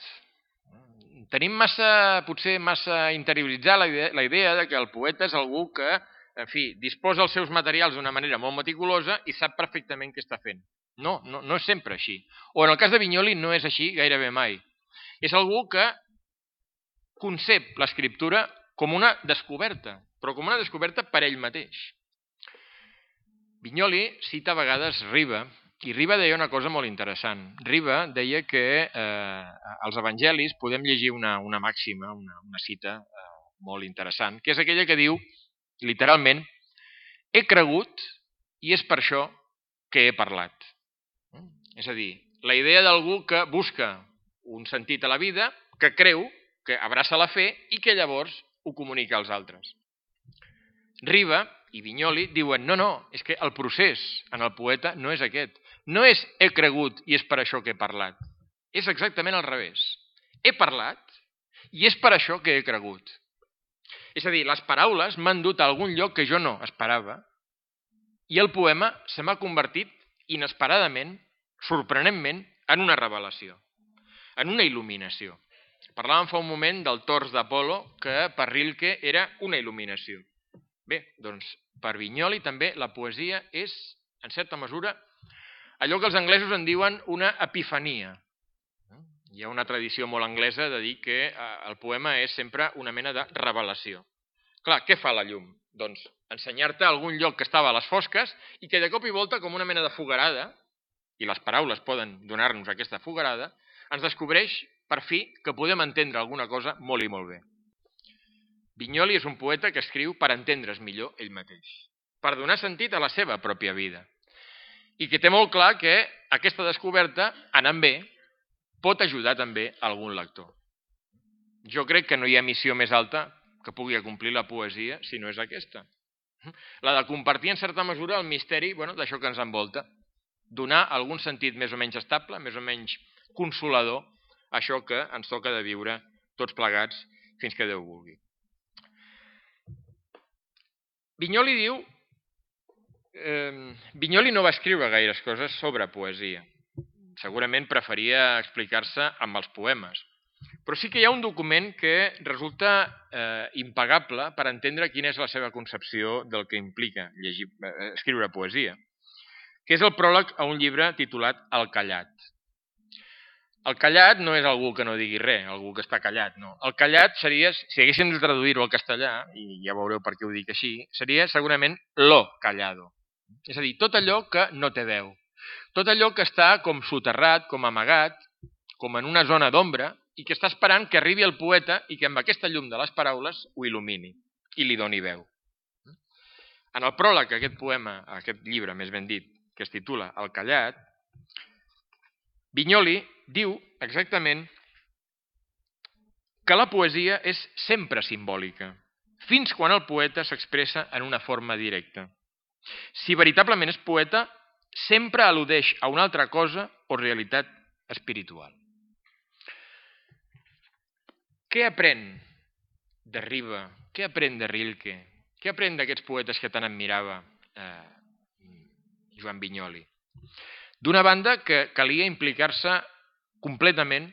Tenim massa, potser massa interioritzar la idea, la idea de que el poeta és algú que, en fi, disposa els seus materials d'una manera molt meticulosa i sap perfectament què està fent. No, no, no és sempre així. O en el cas de Vinyoli no és així gairebé mai. És algú que concep l'escriptura com una descoberta, però com una descoberta per ell mateix. Vinyoli cita a vegades Riba, i Riba deia una cosa molt interessant. Riba deia que eh, als evangelis podem llegir una, una màxima, una, una cita eh, molt interessant, que és aquella que diu, literalment, he cregut i és per això que he parlat. És a dir, la idea d'algú que busca un sentit a la vida, que creu, que abraça la fe i que llavors ho comunica als altres. Riba i Vinyoli diuen, no, no, és que el procés en el poeta no és aquest. No és he cregut i és per això que he parlat. És exactament al revés. He parlat i és per això que he cregut. És a dir, les paraules m'han dut a algun lloc que jo no esperava i el poema se m'ha convertit inesperadament, sorprenentment, en una revelació, en una il·luminació. Parlàvem fa un moment del tors d'Apolo, que per Rilke era una il·luminació. Bé, doncs per Vinyoli també la poesia és, en certa mesura, allò que els anglesos en diuen una epifania. Hi ha una tradició molt anglesa de dir que el poema és sempre una mena de revelació. Clar, què fa la llum? Doncs ensenyar-te algun lloc que estava a les fosques i que de cop i volta, com una mena de fogarada, i les paraules poden donar-nos aquesta fogarada, ens descobreix, per fi, que podem entendre alguna cosa molt i molt bé. Vinyoli és un poeta que escriu per entendre's millor ell mateix, per donar sentit a la seva pròpia vida, i que té molt clar que aquesta descoberta, anant bé, pot ajudar també a algun lector. Jo crec que no hi ha missió més alta que pugui acomplir la poesia si no és aquesta. La de compartir en certa mesura el misteri bueno, d'això que ens envolta, donar algun sentit més o menys estable, més o menys consolador, a això que ens toca de viure tots plegats fins que Déu vulgui. Vinyoli diu... Eh, Vinyoli no va escriure gaires coses sobre poesia. Segurament preferia explicar-se amb els poemes. Però sí que hi ha un document que resulta eh, impagable per entendre quina és la seva concepció del que implica llegir, eh, escriure poesia, que és el pròleg a un llibre titulat El callat. El callat no és algú que no digui res, algú que està callat, no. El callat seria, si haguéssim de traduir-ho al castellà, i ja veureu per què ho dic així, seria segurament lo callado. És a dir, tot allò que no té veu. Tot allò que està com soterrat, com amagat, com en una zona d'ombra, i que està esperant que arribi el poeta i que amb aquesta llum de les paraules ho il·lumini i li doni veu. En el pròleg a aquest poema, a aquest llibre, més ben dit, que es titula El callat, Vinyoli diu exactament que la poesia és sempre simbòlica, fins quan el poeta s'expressa en una forma directa. Si veritablement és poeta, sempre al·ludeix a una altra cosa o realitat espiritual. Què aprèn de Riba? Què aprèn de Rilke? Què aprèn d'aquests poetes que tant admirava eh, Joan Vinyoli? D'una banda, que calia implicar-se completament,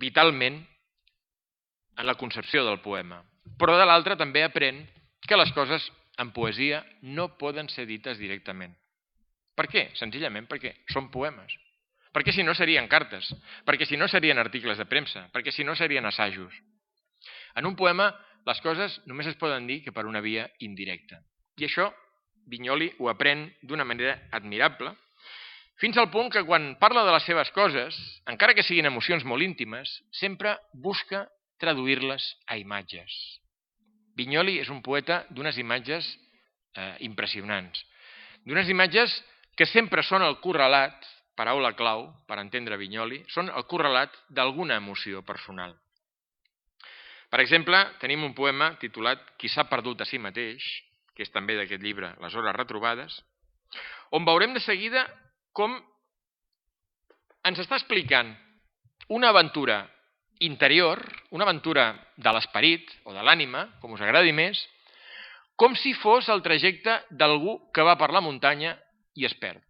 vitalment, en la concepció del poema. Però de l'altra també aprèn que les coses en poesia no poden ser dites directament. Per què? Senzillament perquè són poemes. Perquè si no serien cartes, perquè si no serien articles de premsa, perquè si no serien assajos. En un poema les coses només es poden dir que per una via indirecta. I això Vinyoli ho aprèn d'una manera admirable, fins al punt que quan parla de les seves coses, encara que siguin emocions molt íntimes, sempre busca traduir-les a imatges. Vinyoli és un poeta d'unes imatges eh, impressionants, d'unes imatges que sempre són el correlat, paraula clau per entendre Vinyoli, són el correlat d'alguna emoció personal. Per exemple, tenim un poema titulat Qui s'ha perdut a si mateix, que és també d'aquest llibre Les hores retrobades, on veurem de seguida com ens està explicant una aventura interior, una aventura de l'esperit o de l'ànima, com us agradi més, com si fos el trajecte d'algú que va per la muntanya i es perd.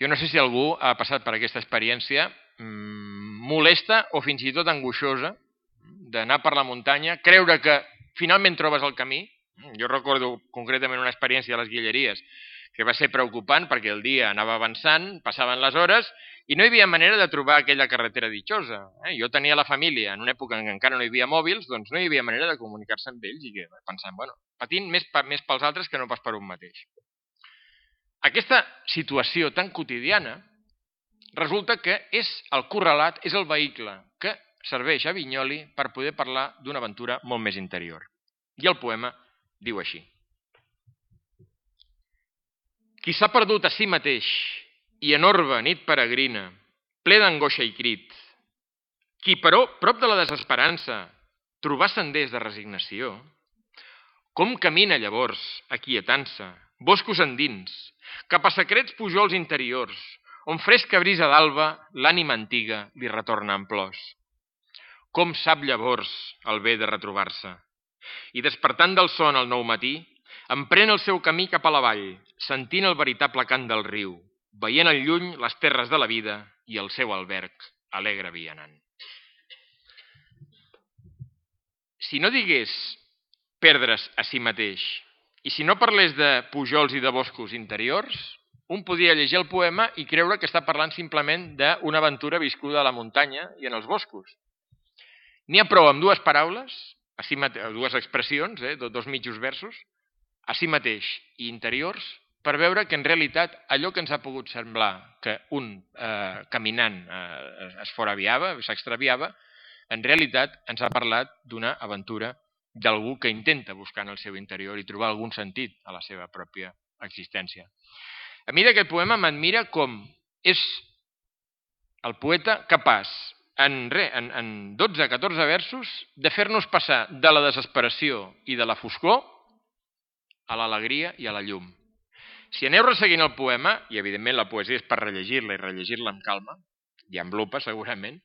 Jo no sé si algú ha passat per aquesta experiència mmm, molesta o fins i tot angoixosa d'anar per la muntanya, creure que finalment trobes el camí. Jo recordo concretament una experiència a les Guilleries que va ser preocupant perquè el dia anava avançant, passaven les hores i no hi havia manera de trobar aquella carretera ditxosa. Eh? Jo tenia la família en una època en què encara no hi havia mòbils, doncs no hi havia manera de comunicar-se amb ells i que pensant, bueno, patint més, més pels altres que no pas per un mateix. Aquesta situació tan quotidiana resulta que és el correlat, és el vehicle que serveix a Vinyoli per poder parlar d'una aventura molt més interior. I el poema diu així. Qui s'ha perdut a si mateix i en orbe nit peregrina, ple d'angoixa i crit, qui, però, prop de la desesperança, trobar senders de resignació, com camina llavors, aquietant-se, boscos endins, cap a secrets pujols interiors, on fresca brisa d'alba l'ànima antiga li retorna en plors. Com sap llavors el bé de retrobar-se? I despertant del son al nou matí, emprèn el seu camí cap a la vall, sentint el veritable cant del riu, veient al lluny les terres de la vida i el seu alberg alegre vianant. Si no digués perdre's a si mateix, i si no parlés de pujols i de boscos interiors, un podia llegir el poema i creure que està parlant simplement d'una aventura viscuda a la muntanya i en els boscos. N'hi ha prou amb dues paraules, a si mate... dues expressions, eh, dos mitjos versos, a si mateix i interiors, per veure que en realitat allò que ens ha pogut semblar que un eh, caminant eh, es foraviava, s'extraviava, en realitat ens ha parlat d'una aventura d'algú que intenta buscar en el seu interior i trobar algun sentit a la seva pròpia existència. A mi d'aquest poema m'admira com és el poeta capaç en, re, en, en dotze a catorze versos de fer-nos passar de la desesperació i de la foscor a l'alegria i a la llum. Si aneu resseguint el poema, i evidentment la poesia és per rellegir-la i rellegir-la amb calma, i amb lupa segurament,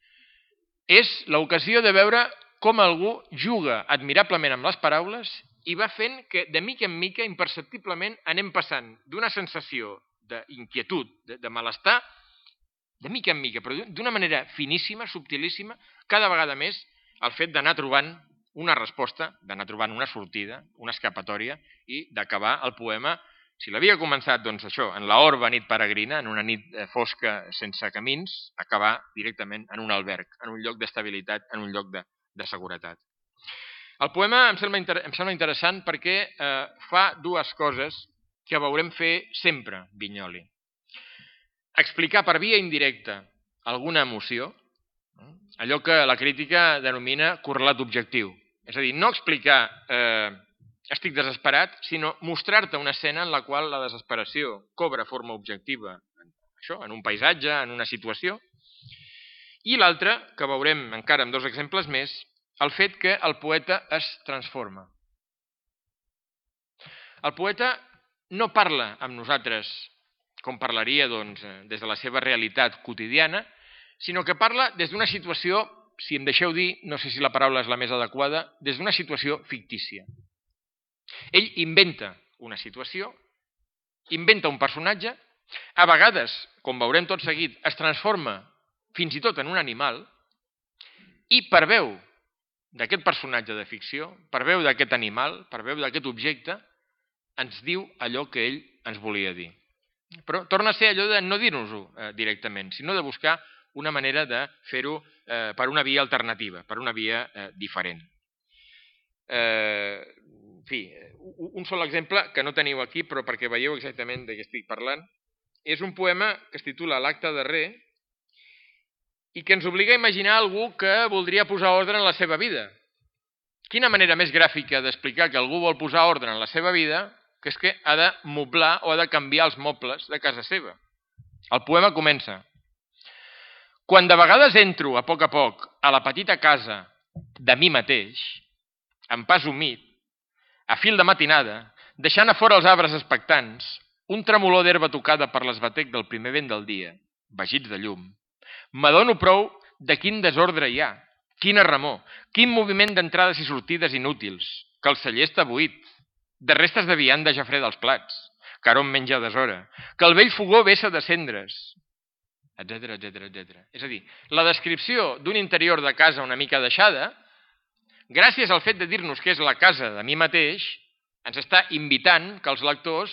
és l'ocasió de veure com algú juga admirablement amb les paraules i va fent que de mica en mica, imperceptiblement, anem passant d'una sensació d'inquietud, de, de malestar, de mica en mica, però d'una manera finíssima, subtilíssima, cada vegada més el fet d'anar trobant una resposta, d'anar trobant una sortida, una escapatòria i d'acabar el poema, si l'havia començat, doncs això, en l'orba nit peregrina, en una nit fosca sense camins, acabar directament en un alberg, en un lloc d'estabilitat, en un lloc de, de seguretat. El poema em sembla, inter... em sembla interessant perquè eh, fa dues coses que veurem fer sempre Vinyoli. Explicar per via indirecta alguna emoció, allò que la crítica denomina correlat objectiu. És a dir, no explicar eh, estic desesperat, sinó mostrar-te una escena en la qual la desesperació cobra forma objectiva, això, en un paisatge, en una situació. I l'altra, que veurem encara amb dos exemples més, el fet que el poeta es transforma. El poeta no parla amb nosaltres com parlaria doncs, des de la seva realitat quotidiana, sinó que parla des d'una situació, si em deixeu dir, no sé si la paraula és la més adequada, des d'una situació fictícia. Ell inventa una situació, inventa un personatge, a vegades, com veurem tot seguit, es transforma fins i tot en un animal i per veu d'aquest personatge de ficció, per veu d'aquest animal, per veu d'aquest objecte, ens diu allò que ell ens volia dir. Però torna a ser allò de no dir-nos-ho eh, directament, sinó de buscar una manera de fer-ho eh, per una via alternativa, per una via eh, diferent. Eh, en fi, un sol exemple que no teniu aquí, però perquè veieu exactament de què estic parlant, és un poema que es titula L'acte darrer i que ens obliga a imaginar algú que voldria posar ordre en la seva vida. Quina manera més gràfica d'explicar que algú vol posar ordre en la seva vida que és que ha de moblar o ha de canviar els mobles de casa seva. El poema comença. Quan de vegades entro a poc a poc a la petita casa de mi mateix, en pas humit, a fil de matinada, deixant a fora els arbres expectants, un tremolor d'herba tocada per l'esbatec del primer vent del dia, vagits de llum, m'adono prou de quin desordre hi ha, quina remor, quin moviment d'entrades i sortides inútils, que el celler està buit, de restes de vianda ja freda als plats, que hom menja a deshora, que el vell fogó vessa de cendres, etcètera, etcètera, etcètera. És a dir, la descripció d'un interior de casa una mica deixada, gràcies al fet de dir-nos que és la casa de mi mateix, ens està invitant que els lectors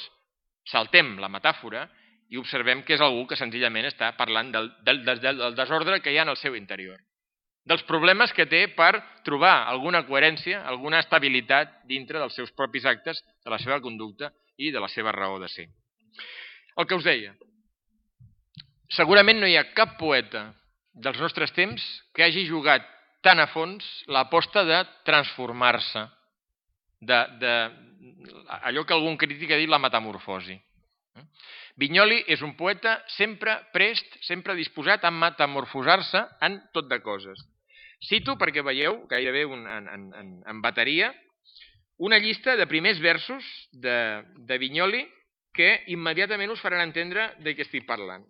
saltem la metàfora i observem que és algú que senzillament està parlant del, del, del, del desordre que hi ha en el seu interior, dels problemes que té per trobar alguna coherència, alguna estabilitat dintre dels seus propis actes, de la seva conducta i de la seva raó de ser. El que us deia, segurament no hi ha cap poeta dels nostres temps que hagi jugat tan a fons l'aposta de transformar-se, de, de allò que algun crític ha dit la metamorfosi. Vinyoli és un poeta sempre prest, sempre disposat a metamorfosar-se en tot de coses. Cito, perquè veieu, gairebé un, en, en, en bateria, una llista de primers versos de, de Vinyoli que immediatament us faran entendre de què estic parlant.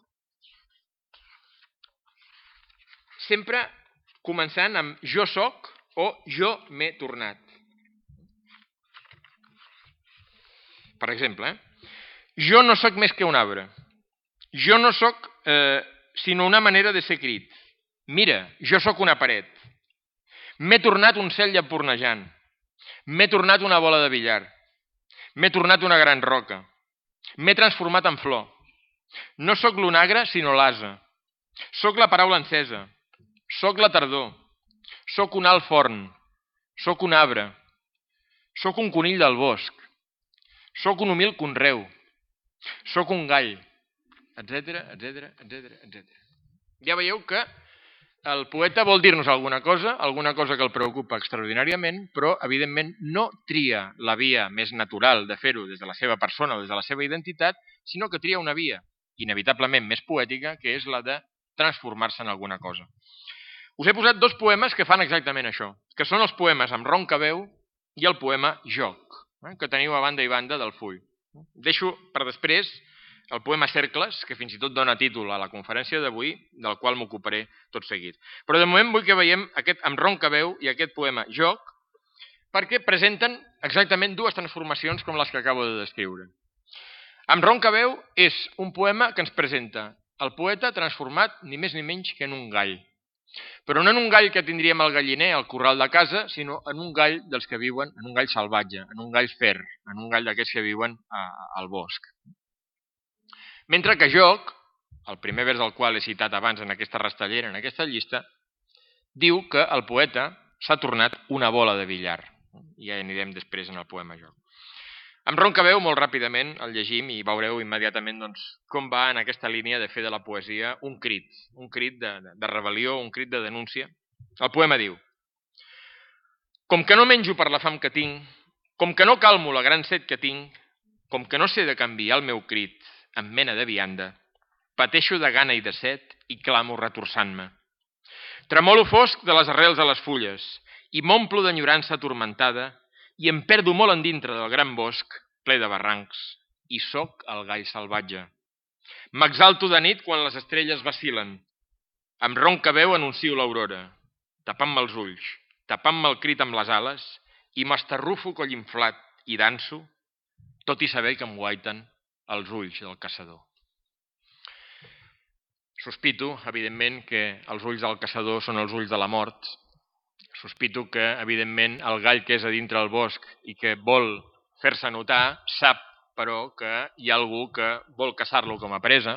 Sempre començant amb jo soc o jo m'he tornat. Per exemple, eh? Jo no soc més que un arbre. Jo no soc eh, sinó una manera de ser crit. Mira, jo soc una paret. M'he tornat un cel llampurnejant. M'he tornat una bola de billar. M'he tornat una gran roca. M'he transformat en flor. No soc l'onagre, sinó l'ase. Soc la paraula encesa. Soc la tardor. Soc un alt forn. Soc un arbre. Soc un conill del bosc. Soc un humil conreu. Soc un gall, etcètera, etcètera, etcètera, etcètera. Ja veieu que el poeta vol dir-nos alguna cosa, alguna cosa que el preocupa extraordinàriament, però, evidentment, no tria la via més natural de fer-ho des de la seva persona o des de la seva identitat, sinó que tria una via, inevitablement més poètica, que és la de transformar-se en alguna cosa. Us he posat dos poemes que fan exactament això, que són els poemes amb ronca veu i el poema Joc, que teniu a banda i banda del full. Deixo per després el poema Cercles, que fins i tot dona títol a la conferència d'avui, del qual m'ocuparé tot seguit. Però de moment vull que veiem aquest amb ronca veu i aquest poema Joc, perquè presenten exactament dues transformacions com les que acabo de descriure. Amb ronca veu és un poema que ens presenta el poeta transformat ni més ni menys que en un gall. Però no en un gall que tindríem al galliner, al corral de casa, sinó en un gall dels que viuen, en un gall salvatge, en un gall fer, en un gall d'aquests que viuen a, al bosc. Mentre que Joc, el primer vers del qual he citat abans en aquesta rastellera, en aquesta llista, diu que el poeta s'ha tornat una bola de billar. Ja anirem després en el poema Joc. Amb ronca veu, molt ràpidament, el llegim i veureu immediatament doncs, com va en aquesta línia de fer de la poesia un crit, un crit de, de, de rebel·lió, un crit de denúncia. El poema diu: com que no menjo per la fam que tinc, com que no calmo la gran set que tinc, com que no sé de canviar el meu crit en mena de vianda, pateixo de gana i de set i clamo retorçant-me. Tremolo fosc de les arrels a les fulles i m'omplo d'enyorança atormentada i em perdo molt endintre del gran bosc, ple de barrancs, i soc el gall salvatge. M'exalto de nit quan les estrelles vacil·len. Amb ronca veu anuncio l'aurora, tapant-me els ulls, tapant-me el crit amb les ales, i m'estarrufo coll inflat i danso, tot i saber que em guaiten els ulls del caçador. Sospito, evidentment, que els ulls del caçador són els ulls de la mort. Sospito que, evidentment, el gall que és a dintre el bosc i que vol fer-se notar, sap, però, que hi ha algú que vol caçar-lo com a presa.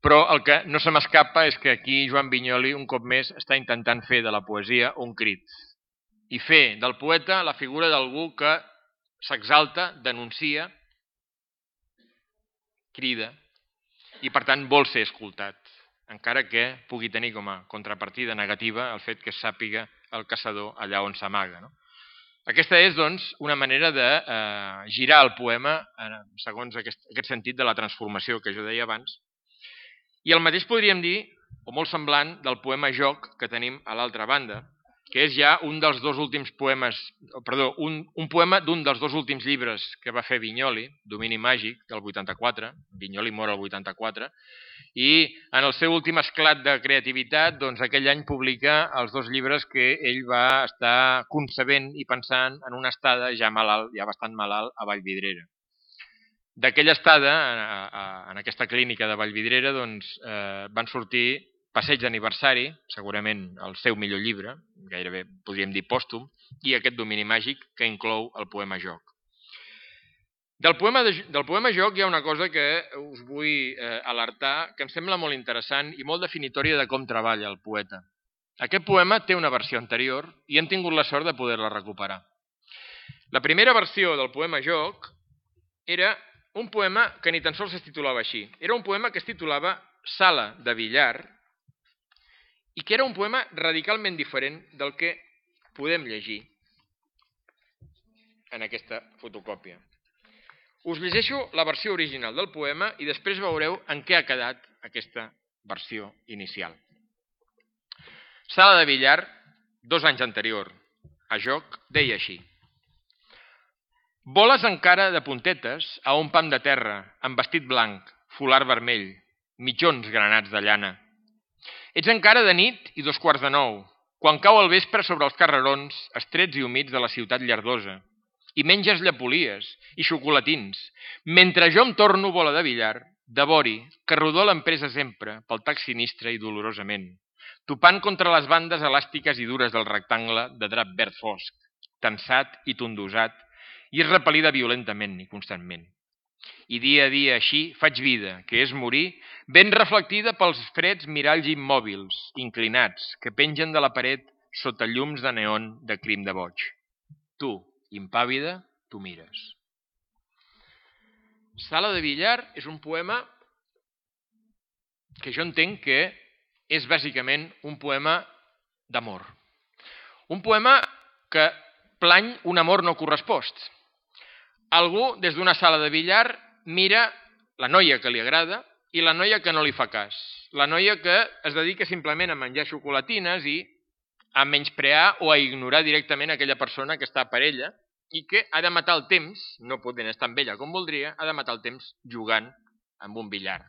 Però el que no se m'escapa és que aquí Joan Vinyoli, un cop més, està intentant fer de la poesia un crit. I fer del poeta la figura d'algú que s'exalta, denuncia, crida, i per tant vol ser escoltat, encara que pugui tenir com a contrapartida negativa el fet que sàpiga el caçador allà on s'amaga. No? Aquesta és, doncs, una manera de eh, girar el poema eh, segons aquest, aquest sentit de la transformació que jo deia abans. I el mateix podríem dir, o molt semblant, del poema Joc que tenim a l'altra banda, que és ja un dels dos últims poemes, perdó, un, un poema d'un dels dos últims llibres que va fer Vinyoli, Domini màgic, del vuitanta-quatre, Vinyoli mor el vuitanta-quatre, i en el seu últim esclat de creativitat, doncs aquell any publica els dos llibres que ell va estar concebent i pensant en una estada ja malalt, ja bastant malalt, a Vallvidrera. D'aquella estada, en aquesta clínica de Vallvidrera, doncs, eh, van sortir Passeig d'aniversari, segurament el seu millor llibre, gairebé podríem dir pòstum, i aquest Domini màgic que inclou el poema Joc. Del poema, de, del poema joc hi ha una cosa que us vull eh, alertar, que em sembla molt interessant i molt definitòria de com treballa el poeta. Aquest poema té una versió anterior i hem tingut la sort de poder-la recuperar. La primera versió del poema joc era un poema que ni tan sols es titulava així. Era un poema que es titulava Sala de billar i que era un poema radicalment diferent del que podem llegir en aquesta fotocòpia. Us llegeixo la versió original del poema i després veureu en què ha quedat aquesta versió inicial. Sala de billar, dos anys anterior, a joc, deia així. Voles encara de puntetes a un pam de terra, amb vestit blanc, folar vermell, mitjons granats de llana. Ets encara de nit i dos quarts de nou, quan cau el vespre sobre els carrerons, estrets i humits de la ciutat llardosa, i menges llapolies i xocolatins, mentre jo em torno bola de billar, de vori, que rodó l'empresa sempre, pel tac sinistre i dolorosament, topant contra les bandes elàstiques i dures del rectangle de drap verd fosc, tensat i tondosat, i repel·lida violentament i constantment. I dia a dia així faig vida, que és morir, ben reflectida pels freds miralls immòbils, inclinats, que pengen de la paret sota llums de neon de crim de boig. Tu, impàvida, tu mires. Sala de billar és un poema que jo entenc que és bàsicament un poema d'amor. Un poema que plany un amor no correspost. Algú, des d'una sala de billar, mira la noia que li agrada i la noia que no li fa cas. La noia que es dedica simplement a menjar xocolatines i a menysprear o a ignorar directament aquella persona que està per ella i que ha de matar el temps, no podent estar amb ella com voldria, ha de matar el temps jugant amb un billar.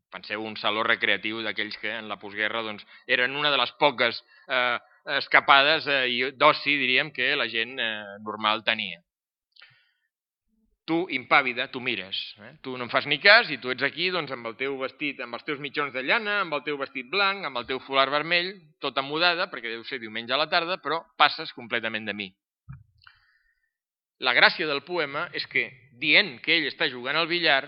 Penseu un saló recreatiu d'aquells que en la postguerra doncs, eren una de les poques eh, escapades eh, d'oci, diríem, que la gent eh, normal tenia. Tu, impàvida, tu mires. Eh? Tu no em fas ni cas i tu ets aquí doncs, amb el teu vestit, amb els teus mitjons de llana, amb el teu vestit blanc, amb el teu folar vermell, tota mudada, perquè deu ser diumenge a la tarda, però passes completament de mi. La gràcia del poema és que, dient que ell està jugant al billar,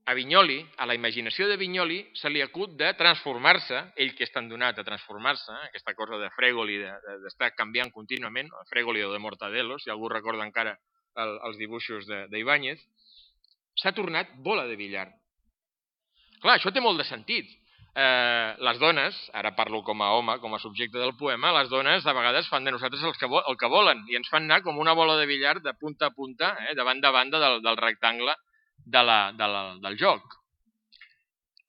a Vinyoli, a la imaginació de Vinyoli, se li acut de transformar-se, ell que és tan donat a transformar-se, aquesta cosa de Fregoli, d'estar canviant contínuament, Fregoli o de Mortadelo, si algú recorda encara el, els dibuixos d'Ibáñez, s'ha tornat bola de billar. Clar, això té molt de sentit. Eh, les dones, ara parlo com a home, com a subjecte del poema, les dones a vegades fan de nosaltres el que, vo el que volen i ens fan anar com una bola de billar de punta a punta, eh, de banda a banda del, del rectangle de la, de la, del joc.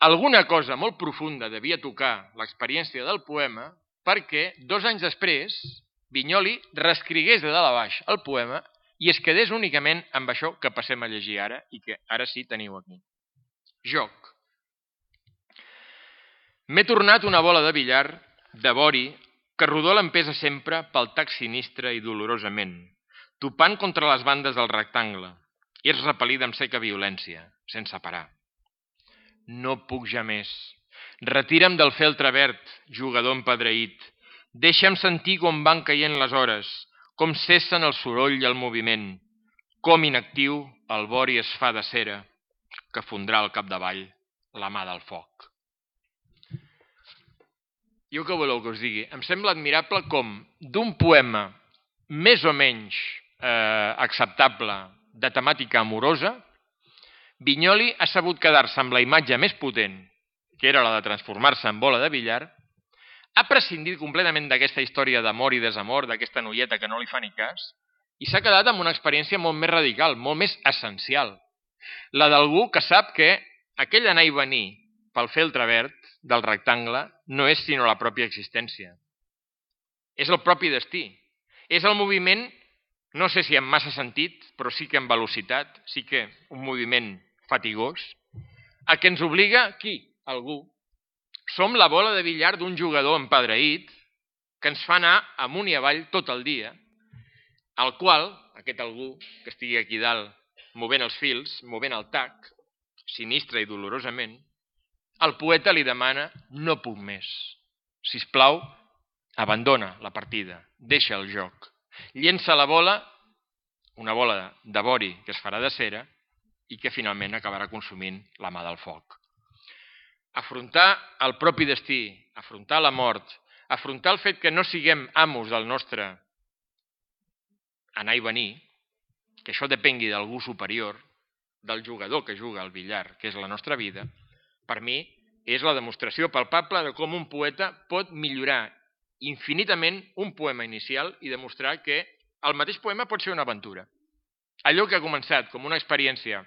Alguna cosa molt profunda devia tocar l'experiència del poema perquè dos anys després Vinyoli reescrigués de dalt a baix el poema i es quedés únicament amb això que passem a llegir ara i que ara sí teniu aquí. Joc. M'he tornat una bola de billar, de vori, que rodó l'empesa sempre pel tac sinistre i dolorosament, topant contra les bandes del rectangle, i és repel·lida amb seca violència, sense parar. No puc ja més. Retira'm del feltre verd, jugador empedreït. Deixa'm sentir com van caient les hores, com cessen el soroll i el moviment, com inactiu el vori es fa de cera, que fondrà al capdavall la mà del foc. Jo què voleu que us digui? Em sembla admirable com d'un poema més o menys eh, acceptable de temàtica amorosa, Vinyoli ha sabut quedar-se amb la imatge més potent, que era la de transformar-se en bola de billar, ha prescindit completament d'aquesta història d'amor i desamor, d'aquesta noieta que no li fa ni cas, i s'ha quedat amb una experiència molt més radical, molt més essencial. La d'algú que sap que aquell anar i venir pel feltre verd del rectangle no és sinó la pròpia existència. És el propi destí. És el moviment, no sé si amb massa sentit, però sí que amb velocitat, sí que un moviment fatigós, a què ens obliga qui? Algú. Som la bola de billar d'un jugador empedreït que ens fa anar amunt i avall tot el dia, al qual, aquest algú que estigui aquí dalt movent els fils, movent el tac, sinistre i dolorosament, el poeta li demana no puc més. Sisplau, abandona la partida, deixa el joc. Llença la bola, una bola de vori que es farà de cera, i que finalment acabarà consumint la mà del foc. Afrontar el propi destí, afrontar la mort, afrontar el fet que no siguem amos del nostre anar i venir, que això depengui d'algú superior, del jugador que juga al billar, que és la nostra vida, per mi és la demostració palpable de com un poeta pot millorar infinitament un poema inicial i demostrar que el mateix poema pot ser una aventura. Allò que ha començat com una experiència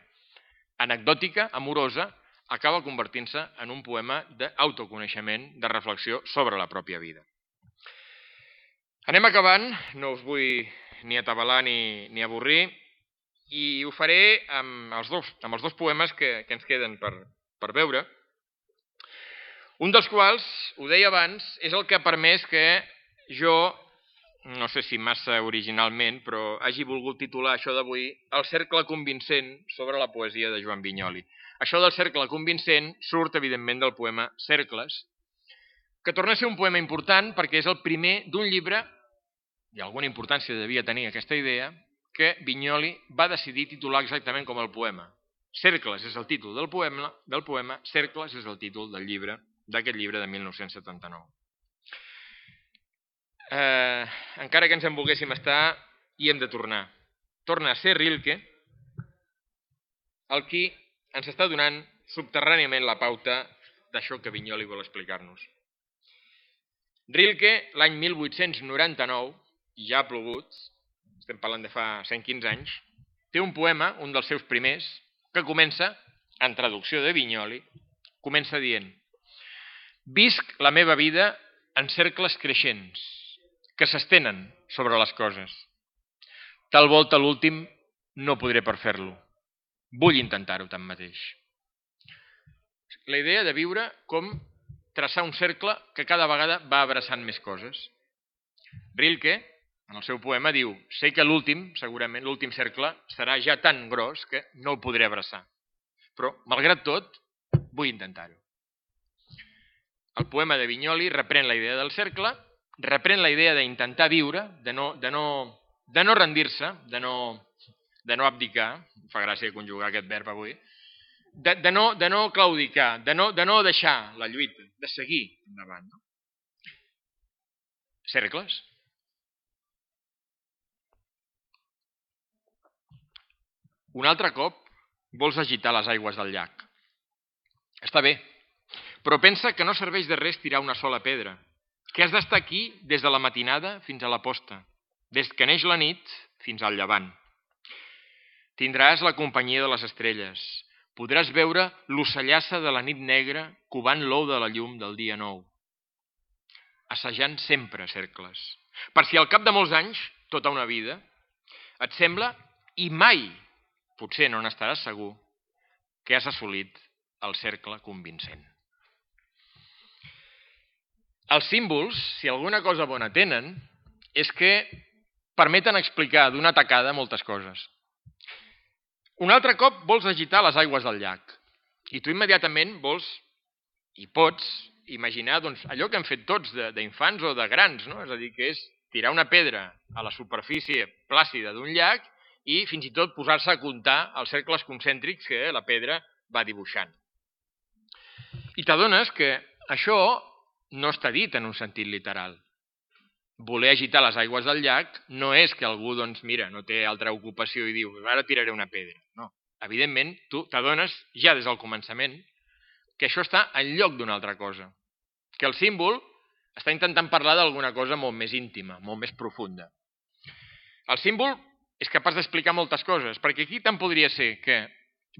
anecdòtica, amorosa, acaba convertint-se en un poema d'autoconeixement, de reflexió sobre la pròpia vida. Anem acabant, no us vull ni atabalar ni, ni avorrir, i ho faré amb els dos, amb els dos poemes que, que ens queden per, per veure. Un dels quals, ho deia abans, és el que ha permès que jo, no sé si massa originalment, però hagi volgut titular això d'avui El cercle convincent sobre la poesia de Joan Vinyoli. Això del cercle convincent surt, evidentment, del poema Cercles, que torna a ser un poema important perquè és el primer d'un llibre, i alguna importància devia tenir aquesta idea, que Vinyoli va decidir titular exactament com el poema. Cercles és el títol del poema, del poema Cercles és el títol del llibre, d'aquest llibre de mil nou-cents setanta-nou. Eh, encara que ens en volguéssim estar, hi hem de tornar. Torna a ser Rilke el qui ens està donant subterràniament la pauta d'això que Vinyoli vol explicar-nos. Rilke, l'any mil vuit-cents noranta-nou, i ja ha plogut, estem parlant de fa cent quinze anys, té un poema, un dels seus primers, que comença, en traducció de Vinyoli, comença dient: visc la meva vida en cercles creixents, que s'estenen sobre les coses. Tal volta l'últim no podré per fer-lo. Vull intentar-ho tanmateix. La idea de viure com traçar un cercle que cada vegada va abraçant més coses. Rilke, en el seu poema, diu: sé que l'últim, segurament l'últim cercle, serà ja tan gros que no el podré abraçar. Però, malgrat tot, vull intentar-ho. El poema de Vinyoli reprèn la idea del cercle, reprèn la idea d'intentar viure, de no, de no, de no rendir-se, de no, de no abdicar, fa gràcia conjugar aquest verb avui, de, de, no, de no claudicar, de no, de no deixar la lluita, de seguir endavant. No? Cercles. Un altre cop vols agitar les aigües del llac. Està bé, però pensa que no serveix de res tirar una sola pedra, que has d'estar aquí des de la matinada fins a la posta, des que neix la nit fins al llevant. Tindràs la companyia de les estrelles, podràs veure l'ocellassa de la nit negra covant l'ou de la llum del dia nou. Assajant sempre cercles, per si al cap de molts anys, tota una vida, et sembla, i mai, potser no n'estaràs segur, que has assolit el cercle convincent. Els símbols, si alguna cosa bona tenen, és que permeten explicar d'una tacada moltes coses. Un altre cop vols agitar les aigües del llac i tu immediatament vols i pots imaginar doncs, allò que hem fet tots d'infants o de grans, no? És a dir, que és tirar una pedra a la superfície plàcida d'un llac i fins i tot posar-se a comptar els cercles concèntrics que la pedra va dibuixant. I t'adones que això no està dit en un sentit literal. Voler agitar les aigües del llac no és que algú, doncs, mira, no té altra ocupació i diu, ara tiraré una pedra. No. Evidentment, tu t'adones ja des del començament que això està en lloc d'una altra cosa. Que el símbol està intentant parlar d'alguna cosa molt més íntima, molt més profunda. El símbol és capaç d'explicar moltes coses, perquè aquí tant podria ser que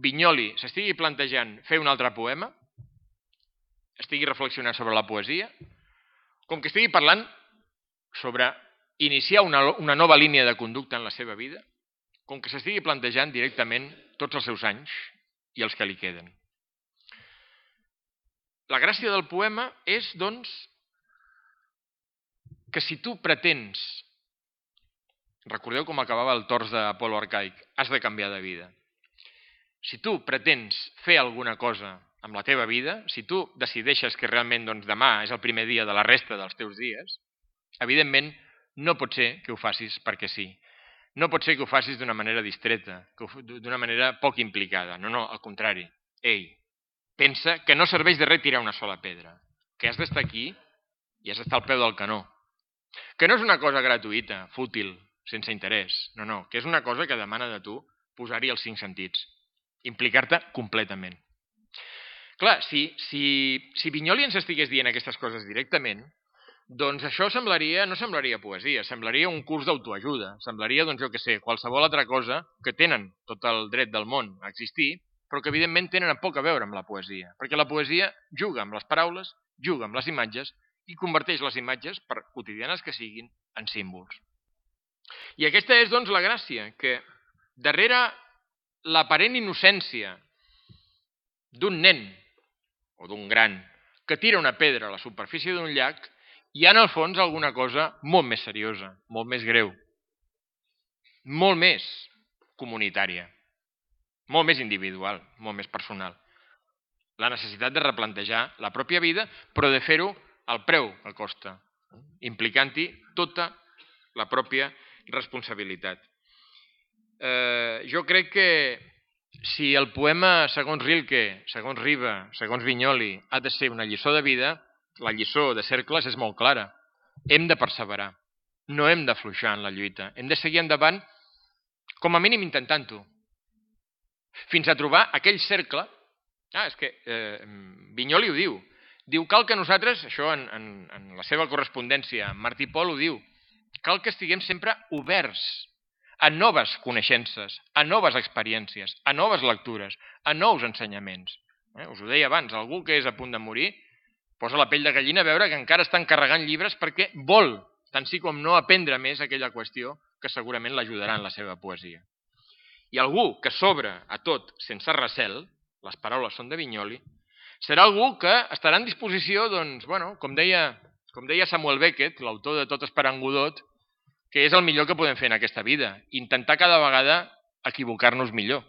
Vinyoli s'estigui plantejant fer un altre poema, estigui reflexionant sobre la poesia, com que estigui parlant sobre iniciar una, una nova línia de conducta en la seva vida, com que s'estigui plantejant directament tots els seus anys i els que li queden. La gràcia del poema és, doncs, que si tu pretens, recordeu com acabava el tors d'Apol·lo Arcaic, has de canviar de vida. Si tu pretens fer alguna cosa amb la teva vida, si tu decideixes que realment doncs, demà és el primer dia de la resta dels teus dies, evidentment no pot ser que ho facis perquè sí. no pot ser que ho facis d'una manera distreta, d'una manera poc implicada. No, no, al contrari. Ei, pensa que no serveix de res tirar una sola pedra, que has d'estar aquí i has d'estar al peu del canó. Que no és una cosa gratuïta, fútil, sense interès. No, no, que és una cosa que demana de tu posar-hi els cinc sentits. Implicar-te completament. Clar, si, si, si Vinyoli ens estigués dient aquestes coses directament, doncs això semblaria, no semblaria poesia, semblaria un curs d'autoajuda, semblaria, doncs jo què sé, qualsevol altra cosa que tenen tot el dret del món a existir, però que evidentment tenen poc a veure amb la poesia, perquè la poesia juga amb les paraules, juga amb les imatges i converteix les imatges, per quotidianes que siguin, en símbols. I aquesta és, doncs, la gràcia, que darrere l'aparent innocència d'un nen o d'un gran que tira una pedra a la superfície d'un llac, hi ha en el fons alguna cosa molt més seriosa, molt més greu, molt més comunitària, molt més individual, molt més personal. La necessitat de replantejar la pròpia vida, però de fer-ho al preu que costa, implicant-hi tota la pròpia responsabilitat. Eh, jo crec que si el poema, segons Rilke, segons Riba, segons Vinyoli, ha de ser una lliçó de vida, la lliçó de Cercles és molt clara. Hem de perseverar, no hem d'afluixar en la lluita, hem de seguir endavant, com a mínim intentant-ho, fins a trobar aquell cercle. Ah, és que eh, Vinyoli ho diu, diu cal que nosaltres, això en, en, en la seva correspondència, Martí Pol ho diu, cal que estiguem sempre oberts a noves coneixences, a noves experiències, a noves lectures, a nous ensenyaments. Eh? Us ho deia abans, algú que és a punt de morir posa la pell de gallina a veure que encara està encarregant llibres perquè vol, tant sí com no, aprendre més aquella qüestió que segurament l'ajudarà en la seva poesia. I algú que s'obre a tot sense recel, les paraules són de Vinyoli, serà algú que estarà en disposició, doncs, bueno, com deia, com deia Samuel Beckett, l'autor de Tot esperant Godot, que és el millor que podem fer en aquesta vida, intentar cada vegada equivocar-nos millor.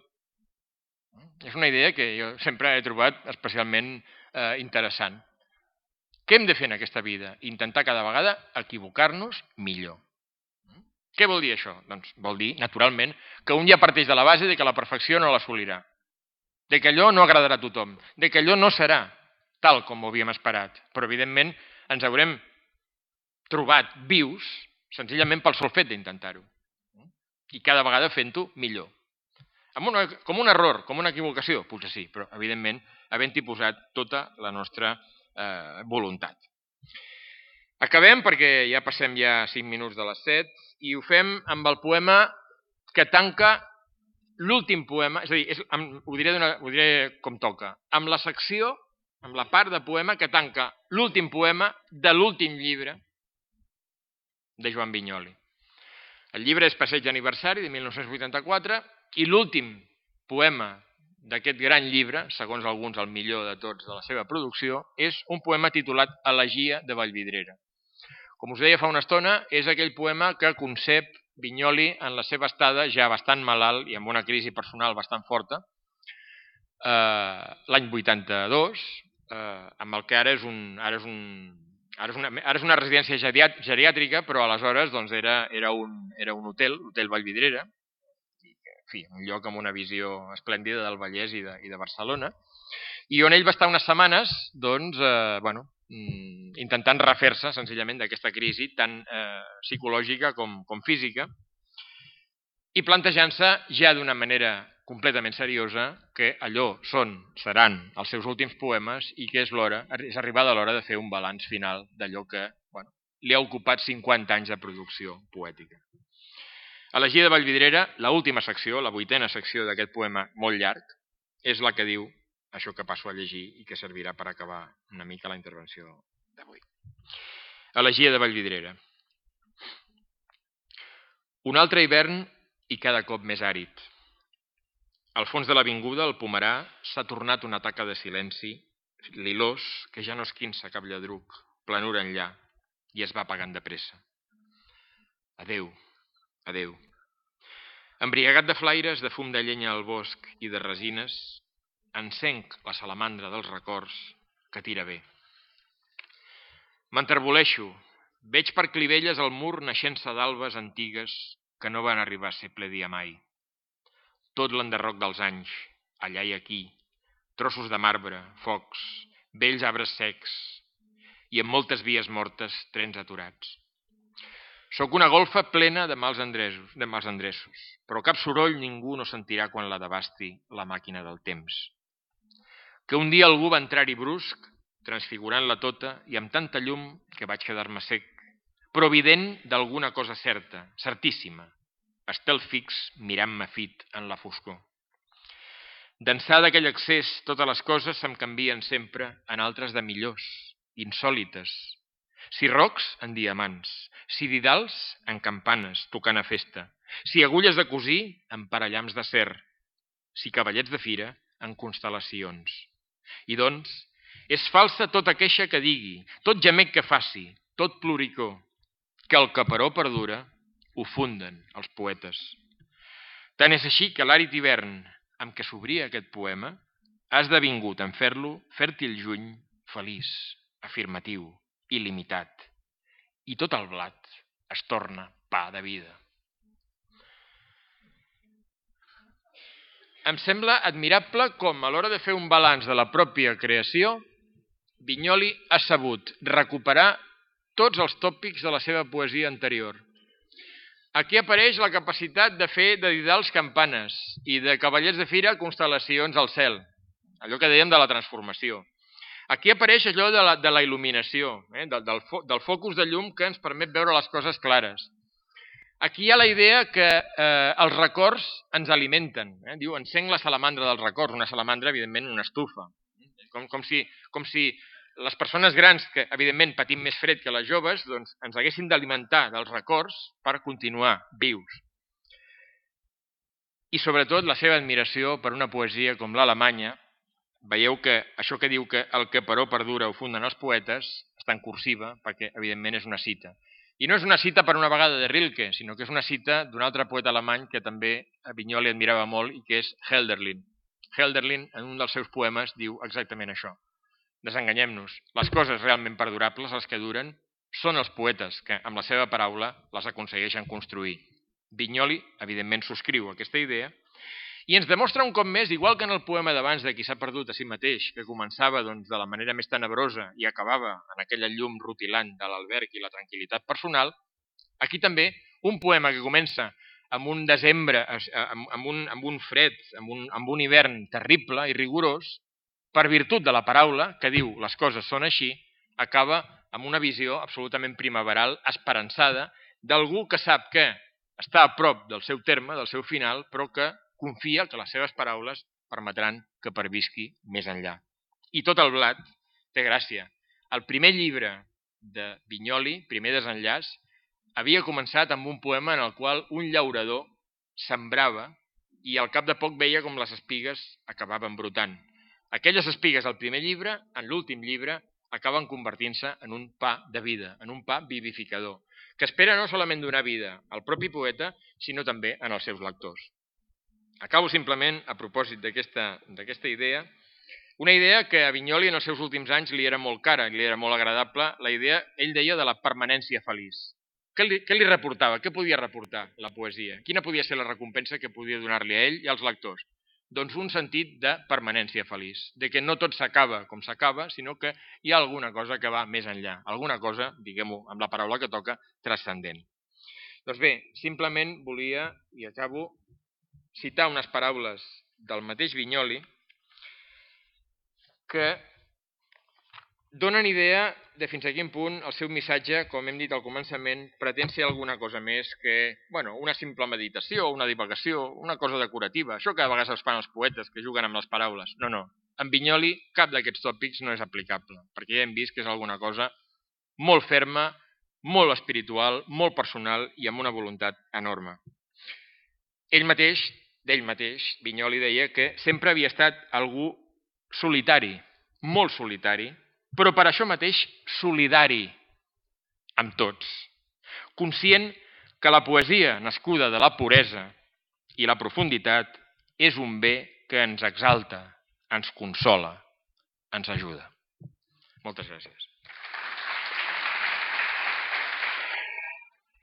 És una idea que jo sempre he trobat especialment eh, interessant. Què hem de fer en aquesta vida? Intentar cada vegada equivocar-nos millor. Què vol dir això? Doncs vol dir, naturalment, que un ja parteix de la base de que la perfecció no l'assolirà, de que allò no agradarà a tothom, de que allò no serà tal com ho havíem esperat, però evidentment ens haurem trobat vius senzillament pel sol fet d'intentar-ho. I cada vegada fent-ho millor. Amb una, com un error, com una equivocació, potser sí, però evidentment havent-hi posat tota la nostra eh, voluntat. Acabem perquè ja passem ja cinc minuts de les set i ho fem amb el poema que tanca l'últim poema, és a dir, és, amb, ho, diré ho diré com toca, amb la secció, amb la part de poema que tanca l'últim poema de l'últim llibre de Joan Vinyoli. El llibre és Passeig d'aniversari de mil nou-cents vuitanta-quatre i l'últim poema d'aquest gran llibre, segons alguns el millor de tots de la seva producció, és un poema titulat Elegia de Vallvidrera. Com us deia fa una estona, és aquell poema que concep Vinyoli en la seva estada ja bastant malalt i amb una crisi personal bastant forta, eh, l'any vuitanta-dos, eh, amb el que ara és un... Ara és un Ara és, una, ara és una residència geriàtrica, però aleshores doncs, era, era, un, era un hotel, l'Hotel Vallvidrera, i, en fi, un lloc amb una visió esplèndida del Vallès i de, i de Barcelona, i on ell va estar unes setmanes doncs, eh, bueno, intentant refer-se senzillament d'aquesta crisi tan eh, psicològica com, com física, i plantejant-se ja d'una manera completament seriosa que allò són, seran els seus últims poemes i que és l'hora, és arribada l'hora de fer un balanç final d'allò que bueno, li ha ocupat cinquanta anys de producció poètica. Elegia de Vallvidrera, l'última secció, la vuitena secció d'aquest poema molt llarg, és la que diu això que passo a llegir i que servirà per acabar una mica la intervenció d'avui. Elegia de Vallvidrera. Un altre hivern i cada cop més àrid. Al fons de l'avinguda, el pomerà s'ha tornat una taca de silenci, lilós, que ja no esquinça cap lladruc, planura enllà, i es va apagant de pressa. Adéu, adéu. Embriagat de flaires, de fum de llenya al bosc i de resines, encenc la salamandra dels records que tira bé. M'enterboleixo, veig per clivelles el mur naixent-se d'albes antigues que no van arribar a ser ple dia mai. Tot l'enderroc dels anys, allà i aquí, trossos de marbre, focs, vells arbres secs i amb moltes vies mortes, trens aturats. Soc una golfa plena de mals endreços, de mals endreços, però cap soroll ningú no sentirà quan la devasti la màquina del temps. Que un dia algú va entrar-hi brusc, transfigurant-la tota i amb tanta llum que vaig quedar-me sec, però evident d'alguna cosa certa, certíssima, estel fix mirant-me fit en la foscor. D'ençà d'aquell accés, totes les coses se'm canvien sempre en altres de millors, insòlites. Si rocs, en diamants, si didals, en campanes, tocant a festa, si agulles de cosir, en parellams d'acer, si cavallets de fira, en constel·lacions. I doncs, és falsa tota queixa que digui, tot gemec que faci, tot ploricó, que el caparó perdura, ho funden els poetes. Tant és així que l'àrid hivern amb què s'obria aquest poema ha esdevingut en fer-lo fèrtil juny, feliç, afirmatiu, il·limitat. I tot el blat es torna pa de vida. Em sembla admirable com a l'hora de fer un balanç de la pròpia creació, Vinyoli ha sabut recuperar tots els tòpics de la seva poesia anterior. Aquí apareix la capacitat de fer de didals campanes i de cavallets de fira constel·lacions al cel, allò que dèiem de la transformació. Aquí apareix allò de la, de la il·luminació, eh? del, del, fo, del focus de llum que ens permet veure les coses clares. Aquí hi ha la idea que eh, els records ens alimenten. Eh? Diu, encenc la salamandra dels records, una salamandra, evidentment, una estufa. Com, com, si, com si les persones grans, que evidentment patim més fred que les joves, doncs ens haguessin d'alimentar dels records per continuar vius. I sobretot la seva admiració per una poesia com l'alemanya. Veieu que això que diu que el que però perdura ho funden els poetes està en cursiva perquè evidentment és una cita. I no és una cita per una vegada de Rilke, sinó que és una cita d'un altre poeta alemany que també a Vinyoli admirava molt i que és Hölderlin. Hölderlin en un dels seus poemes diu exactament això. Desenganyem-nos, les coses realment perdurables, les que duren, són els poetes que amb la seva paraula les aconsegueixen construir. Vinyoli evidentment subscriu aquesta idea i ens demostra un cop més, igual que en el poema d'abans de Qui s'ha perdut a si mateix, que començava doncs, de la manera més tenebrosa i acabava en aquella llum rutilant de l'alberg i la tranquil·litat personal, aquí també un poema que comença amb un desembre, amb, amb, un, amb un fred, amb un, amb un hivern terrible i rigorós, per virtut de la paraula que diu les coses són així, acaba amb una visió absolutament primaveral, esperançada, d'algú que sap que està a prop del seu terme, del seu final, però que confia que les seves paraules permetran que pervisqui més enllà. I tot el blat té gràcia. El primer llibre de Vinyoli, primer desenllaç, havia començat amb un poema en el qual un llaurador sembrava i al cap de poc veia com les espigues acabaven brotant. Aquelles espigues al primer llibre, en l'últim llibre, acaben convertint-se en un pa de vida, en un pa vivificador, que espera no solament donar vida al propi poeta, sinó també en els seus lectors. Acabo simplement, a propòsit d'aquesta idea, una idea que a Vinyoli en els seus últims anys li era molt cara, li era molt agradable, la idea, ell deia, de la permanència feliç. Què li, què li reportava? Què podia reportar la poesia? Quina podia ser la recompensa que podia donar-li a ell i als lectors? Doncs un sentit de permanència feliç, de que no tot s'acaba com s'acaba, sinó que hi ha alguna cosa que va més enllà, alguna cosa, diguem-ho amb la paraula que toca, transcendent. Doncs bé, simplement volia, i acabo, citar unes paraules del mateix Vinyoli que donen idea de fins a quin punt el seu missatge, com hem dit al començament, pretén ser alguna cosa més que bueno, una simple meditació, una divagació, una cosa decorativa. Això que a vegades es fan els poetes, que juguen amb les paraules. No, no. En Vinyoli cap d'aquests tòpics no és aplicable, perquè ja hem vist que és alguna cosa molt ferma, molt espiritual, molt personal i amb una voluntat enorme. Ell mateix, d'ell mateix, Vinyoli deia que sempre havia estat algú solitari, molt solitari, però per això mateix solidari amb tots, conscient que la poesia nascuda de la puresa i la profunditat és un bé que ens exalta, ens consola, ens ajuda. Moltes gràcies.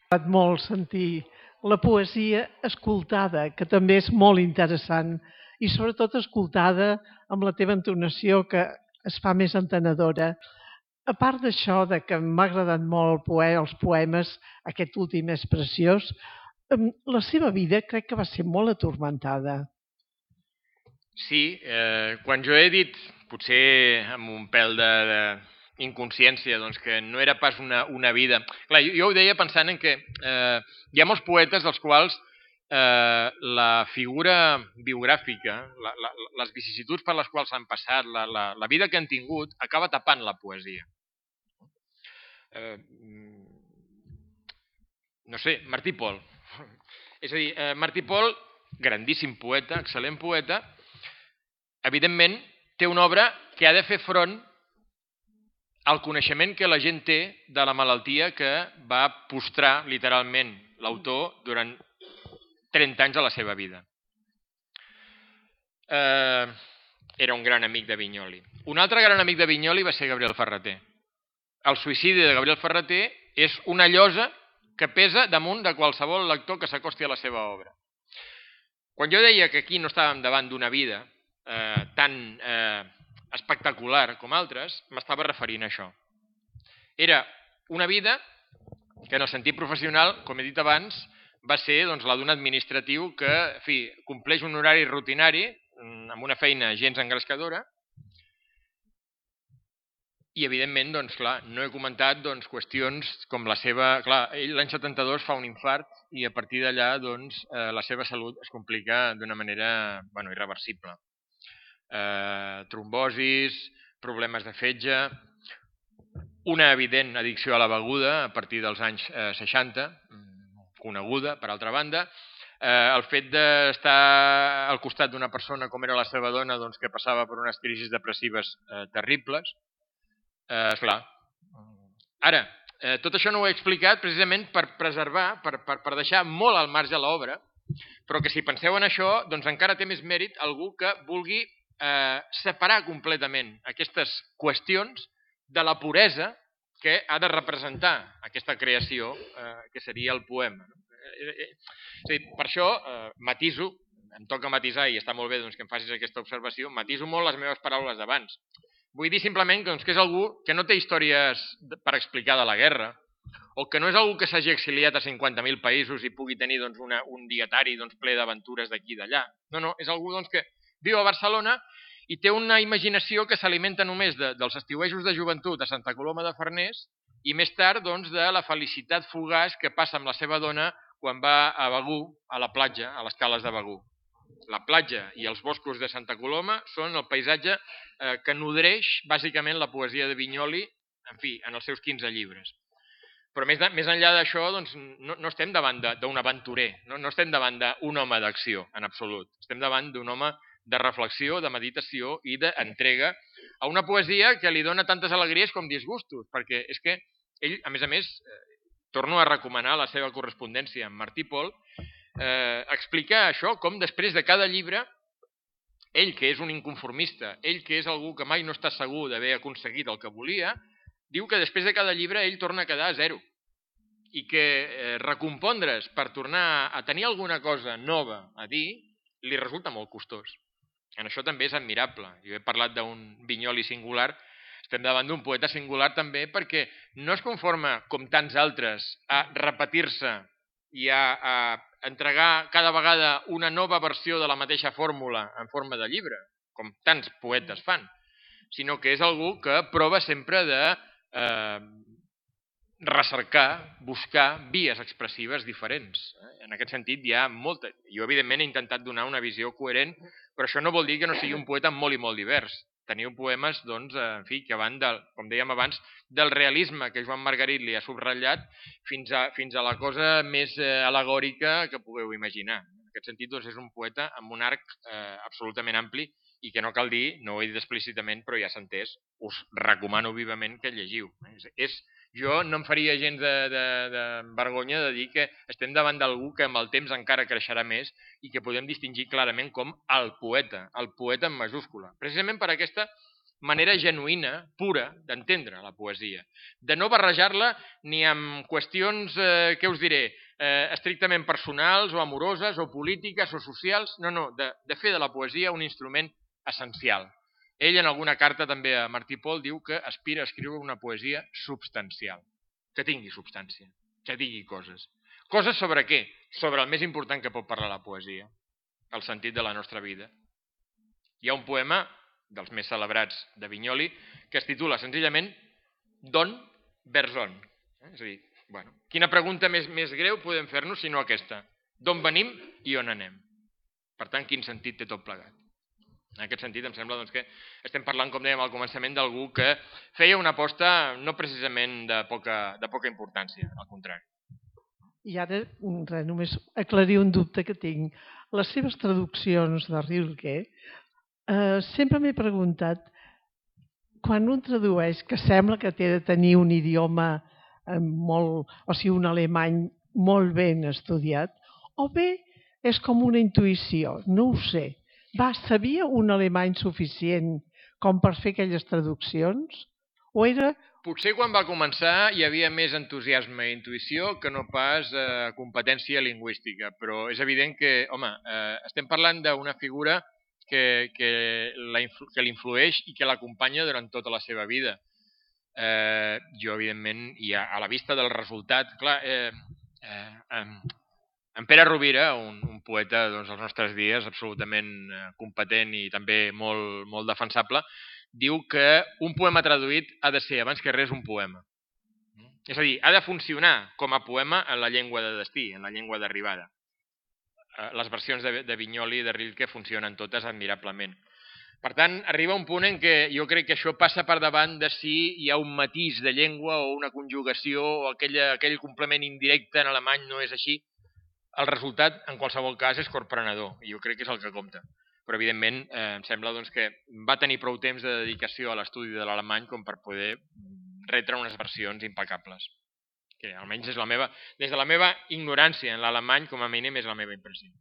M'ha agradat molt sentir la poesia escoltada, que també és molt interessant, i sobretot escoltada amb la teva entonació, que es fa més entenedora. A part d'això, de que m'ha agradat molt el poe, els poemes, aquest últim és preciós, la seva vida crec que va ser molt atormentada. Sí, eh, quan jo he dit, potser amb un pèl de, de inconsciència, doncs que no era pas una, una vida... Clar, jo, jo ho deia pensant en que eh, hi ha molts poetes dels quals eh, la figura biogràfica, la, la, les vicissituds per les quals han passat, la, la, la vida que han tingut, acaba tapant la poesia. Eh, no sé, Martí Pol. És a dir, eh, Martí Pol, grandíssim poeta, excel·lent poeta, evidentment té una obra que ha de fer front al coneixement que la gent té de la malaltia que va postrar literalment l'autor durant trenta anys de la seva vida. Eh, era un gran amic de Vinyoli. Un altre gran amic de Vinyoli va ser Gabriel Ferrater. El suïcidi de Gabriel Ferrater és una llosa que pesa damunt de qualsevol lector que s'acosti a la seva obra. Quan jo deia que aquí no estàvem davant d'una vida eh, tan eh, espectacular com altres, m'estava referint a això. Era una vida que en el sentit professional, com he dit abans, va ser doncs, la d'un administratiu que en fi, compleix un horari rutinari amb una feina gens engrescadora. I, evidentment, doncs, clar, no he comentat doncs, qüestions com la seva... Clar, ell l'any setanta-dos fa un infart i a partir d'allà doncs, eh, la seva salut es complica d'una manera bueno, irreversible. Eh, trombosis, problemes de fetge, una evident addicció a la beguda a partir dels anys eh, seixanta, coneguda, per altra banda, eh, el fet d'estar al costat d'una persona com era la seva dona doncs, que passava per unes crisis depressives eh, terribles. Eh, esclar. Ara, eh, tot això no ho he explicat precisament per preservar, per, per, per deixar molt al marge l'obra, però que si penseu en això, doncs encara té més mèrit algú que vulgui eh, separar completament aquestes qüestions de la puresa que ha de representar aquesta creació eh, que seria el poema. Eh, eh, és a dir, per això eh, matiso, em toca matisar i està molt bé doncs, que em facis aquesta observació, matiso molt les meves paraules d'abans. Vull dir simplement doncs, que és algú que no té històries per explicar de la guerra, o que no és algú que s'hagi exiliat a cinquanta mil països i pugui tenir doncs, una, un dietari doncs, ple d'aventures d'aquí i d'allà. No, no, és algú doncs, que viu a Barcelona i té una imaginació que s'alimenta només de, dels estiuejos de joventut a Santa Coloma de Farners i més tard doncs, de la felicitat fugaç que passa amb la seva dona quan va a Begur, a la platja, a les cales de Begur. La platja i els boscos de Santa Coloma són el paisatge eh, que nodreix bàsicament la poesia de Vinyoli, en fi, en els seus quinze llibres. Però més, de, més enllà d'això, doncs, no, no estem davant d'un aventurer, no, no estem davant d'un home d'acció, en absolut. Estem davant d'un home de reflexió, de meditació i d'entrega a una poesia que li dona tantes alegries com disgustos, perquè és que ell, a més a més, eh, torno a recomanar la seva correspondència amb Martí Pol, Eh, explicar això, com després de cada llibre, ell que és un inconformista, ell que és algú que mai no està segur d'haver aconseguit el que volia, diu que després de cada llibre ell torna a quedar a zero i que eh, recompondre's per tornar a tenir alguna cosa nova a dir li resulta molt costós. En això també és admirable. Jo he parlat d'un Vinyoli singular, estem davant d'un poeta singular també perquè no es conforma, com tants altres, a repetir-se i a, a entregar cada vegada una nova versió de la mateixa fórmula en forma de llibre, com tants poetes fan, sinó que és algú que prova sempre de eh, recercar, buscar vies expressives diferents. En aquest sentit hi ha molta... Jo, evidentment, he intentat donar una visió coherent, però això no vol dir que no sigui un poeta molt i molt divers. Teniu poemes, doncs, en fi, que van, del, com dèiem abans, del realisme que Joan Margarit li ha subratllat fins a, fins a la cosa més eh, alegòrica que pugueu imaginar. En aquest sentit, doncs, és un poeta amb un arc eh, absolutament ampli i que no cal dir, no ho he dit explícitament, però ja s'ha entès, us recomano vivament que llegiu. És, és, jo no em faria gens de, de, de vergonya de dir que estem davant d'algú que amb el temps encara creixerà més i que podem distingir clarament com el poeta, el poeta en majúscula. Precisament per aquesta manera genuïna, pura, d'entendre la poesia. De no barrejar-la ni amb qüestions, eh, què us diré, eh, estrictament personals o amoroses o polítiques o socials, no, no, de, de fer de la poesia un instrument essencial. Ell en alguna carta també a Martí Pol diu que aspira a escriure una poesia substancial, que tingui substància, que digui coses. Coses sobre què? Sobre el més important que pot parlar la poesia, el sentit de la nostra vida. Hi ha un poema dels més celebrats de Vinyoli que es titula senzillament D'on vers on? És a dir, bueno, quina pregunta més, més greu podem fer-nos sinó aquesta? D'on venim i on anem? Per tant, quin sentit té tot plegat? En aquest sentit, em sembla doncs, que estem parlant, com dèiem al començament, d'algú que feia una aposta no precisament de poca, de poca importància, al contrari. I ara, res, només aclarir un dubte que tinc. Les seves traduccions de Rilke, eh, sempre m'he preguntat, quan un tradueix, que sembla que té de tenir un idioma eh, molt, o sigui, un alemany molt ben estudiat, o bé és com una intuïció, no ho sé. Va, sabia un alemany suficient com per fer aquelles traduccions? O era... Potser quan va començar hi havia més entusiasme i intuïció que no pas eh, competència lingüística, però és evident que, home, eh, estem parlant d'una figura que, que, la influ, que l'influeix i que l'acompanya durant tota la seva vida. Eh, jo, evidentment, i a, a la vista del resultat, clar, eh, eh, eh, en Pere Rovira, un, un poeta doncs, als nostres dies absolutament competent i també molt, molt defensable, diu que un poema traduït ha de ser, abans que res, un poema. És a dir, ha de funcionar com a poema en la llengua de destí, en la llengua d'arribada. Les versions de, de Vinyoli i de Rilke funcionen totes admirablement. Per tant, arriba un punt en què jo crec que això passa per davant de si hi ha un matís de llengua o una conjugació o aquella, aquell complement indirecte en alemany no és així. El resultat, en qualsevol cas, és corprenedor, i jo crec que és el que compta. Però, evidentment, eh, em sembla doncs, que va tenir prou temps de dedicació a l'estudi de l'alemany com per poder retre unes versions impecables. Que almenys és la meva, des de la meva ignorància en l'alemany, com a mínim, és la meva impressió.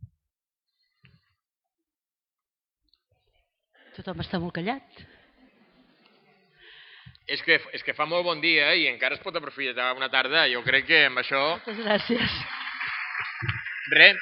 Tothom està molt callat. És que, és que fa molt bon dia i encara es pot aprofitar una tarda. Jo crec que amb això... Moltes gràcies. Res,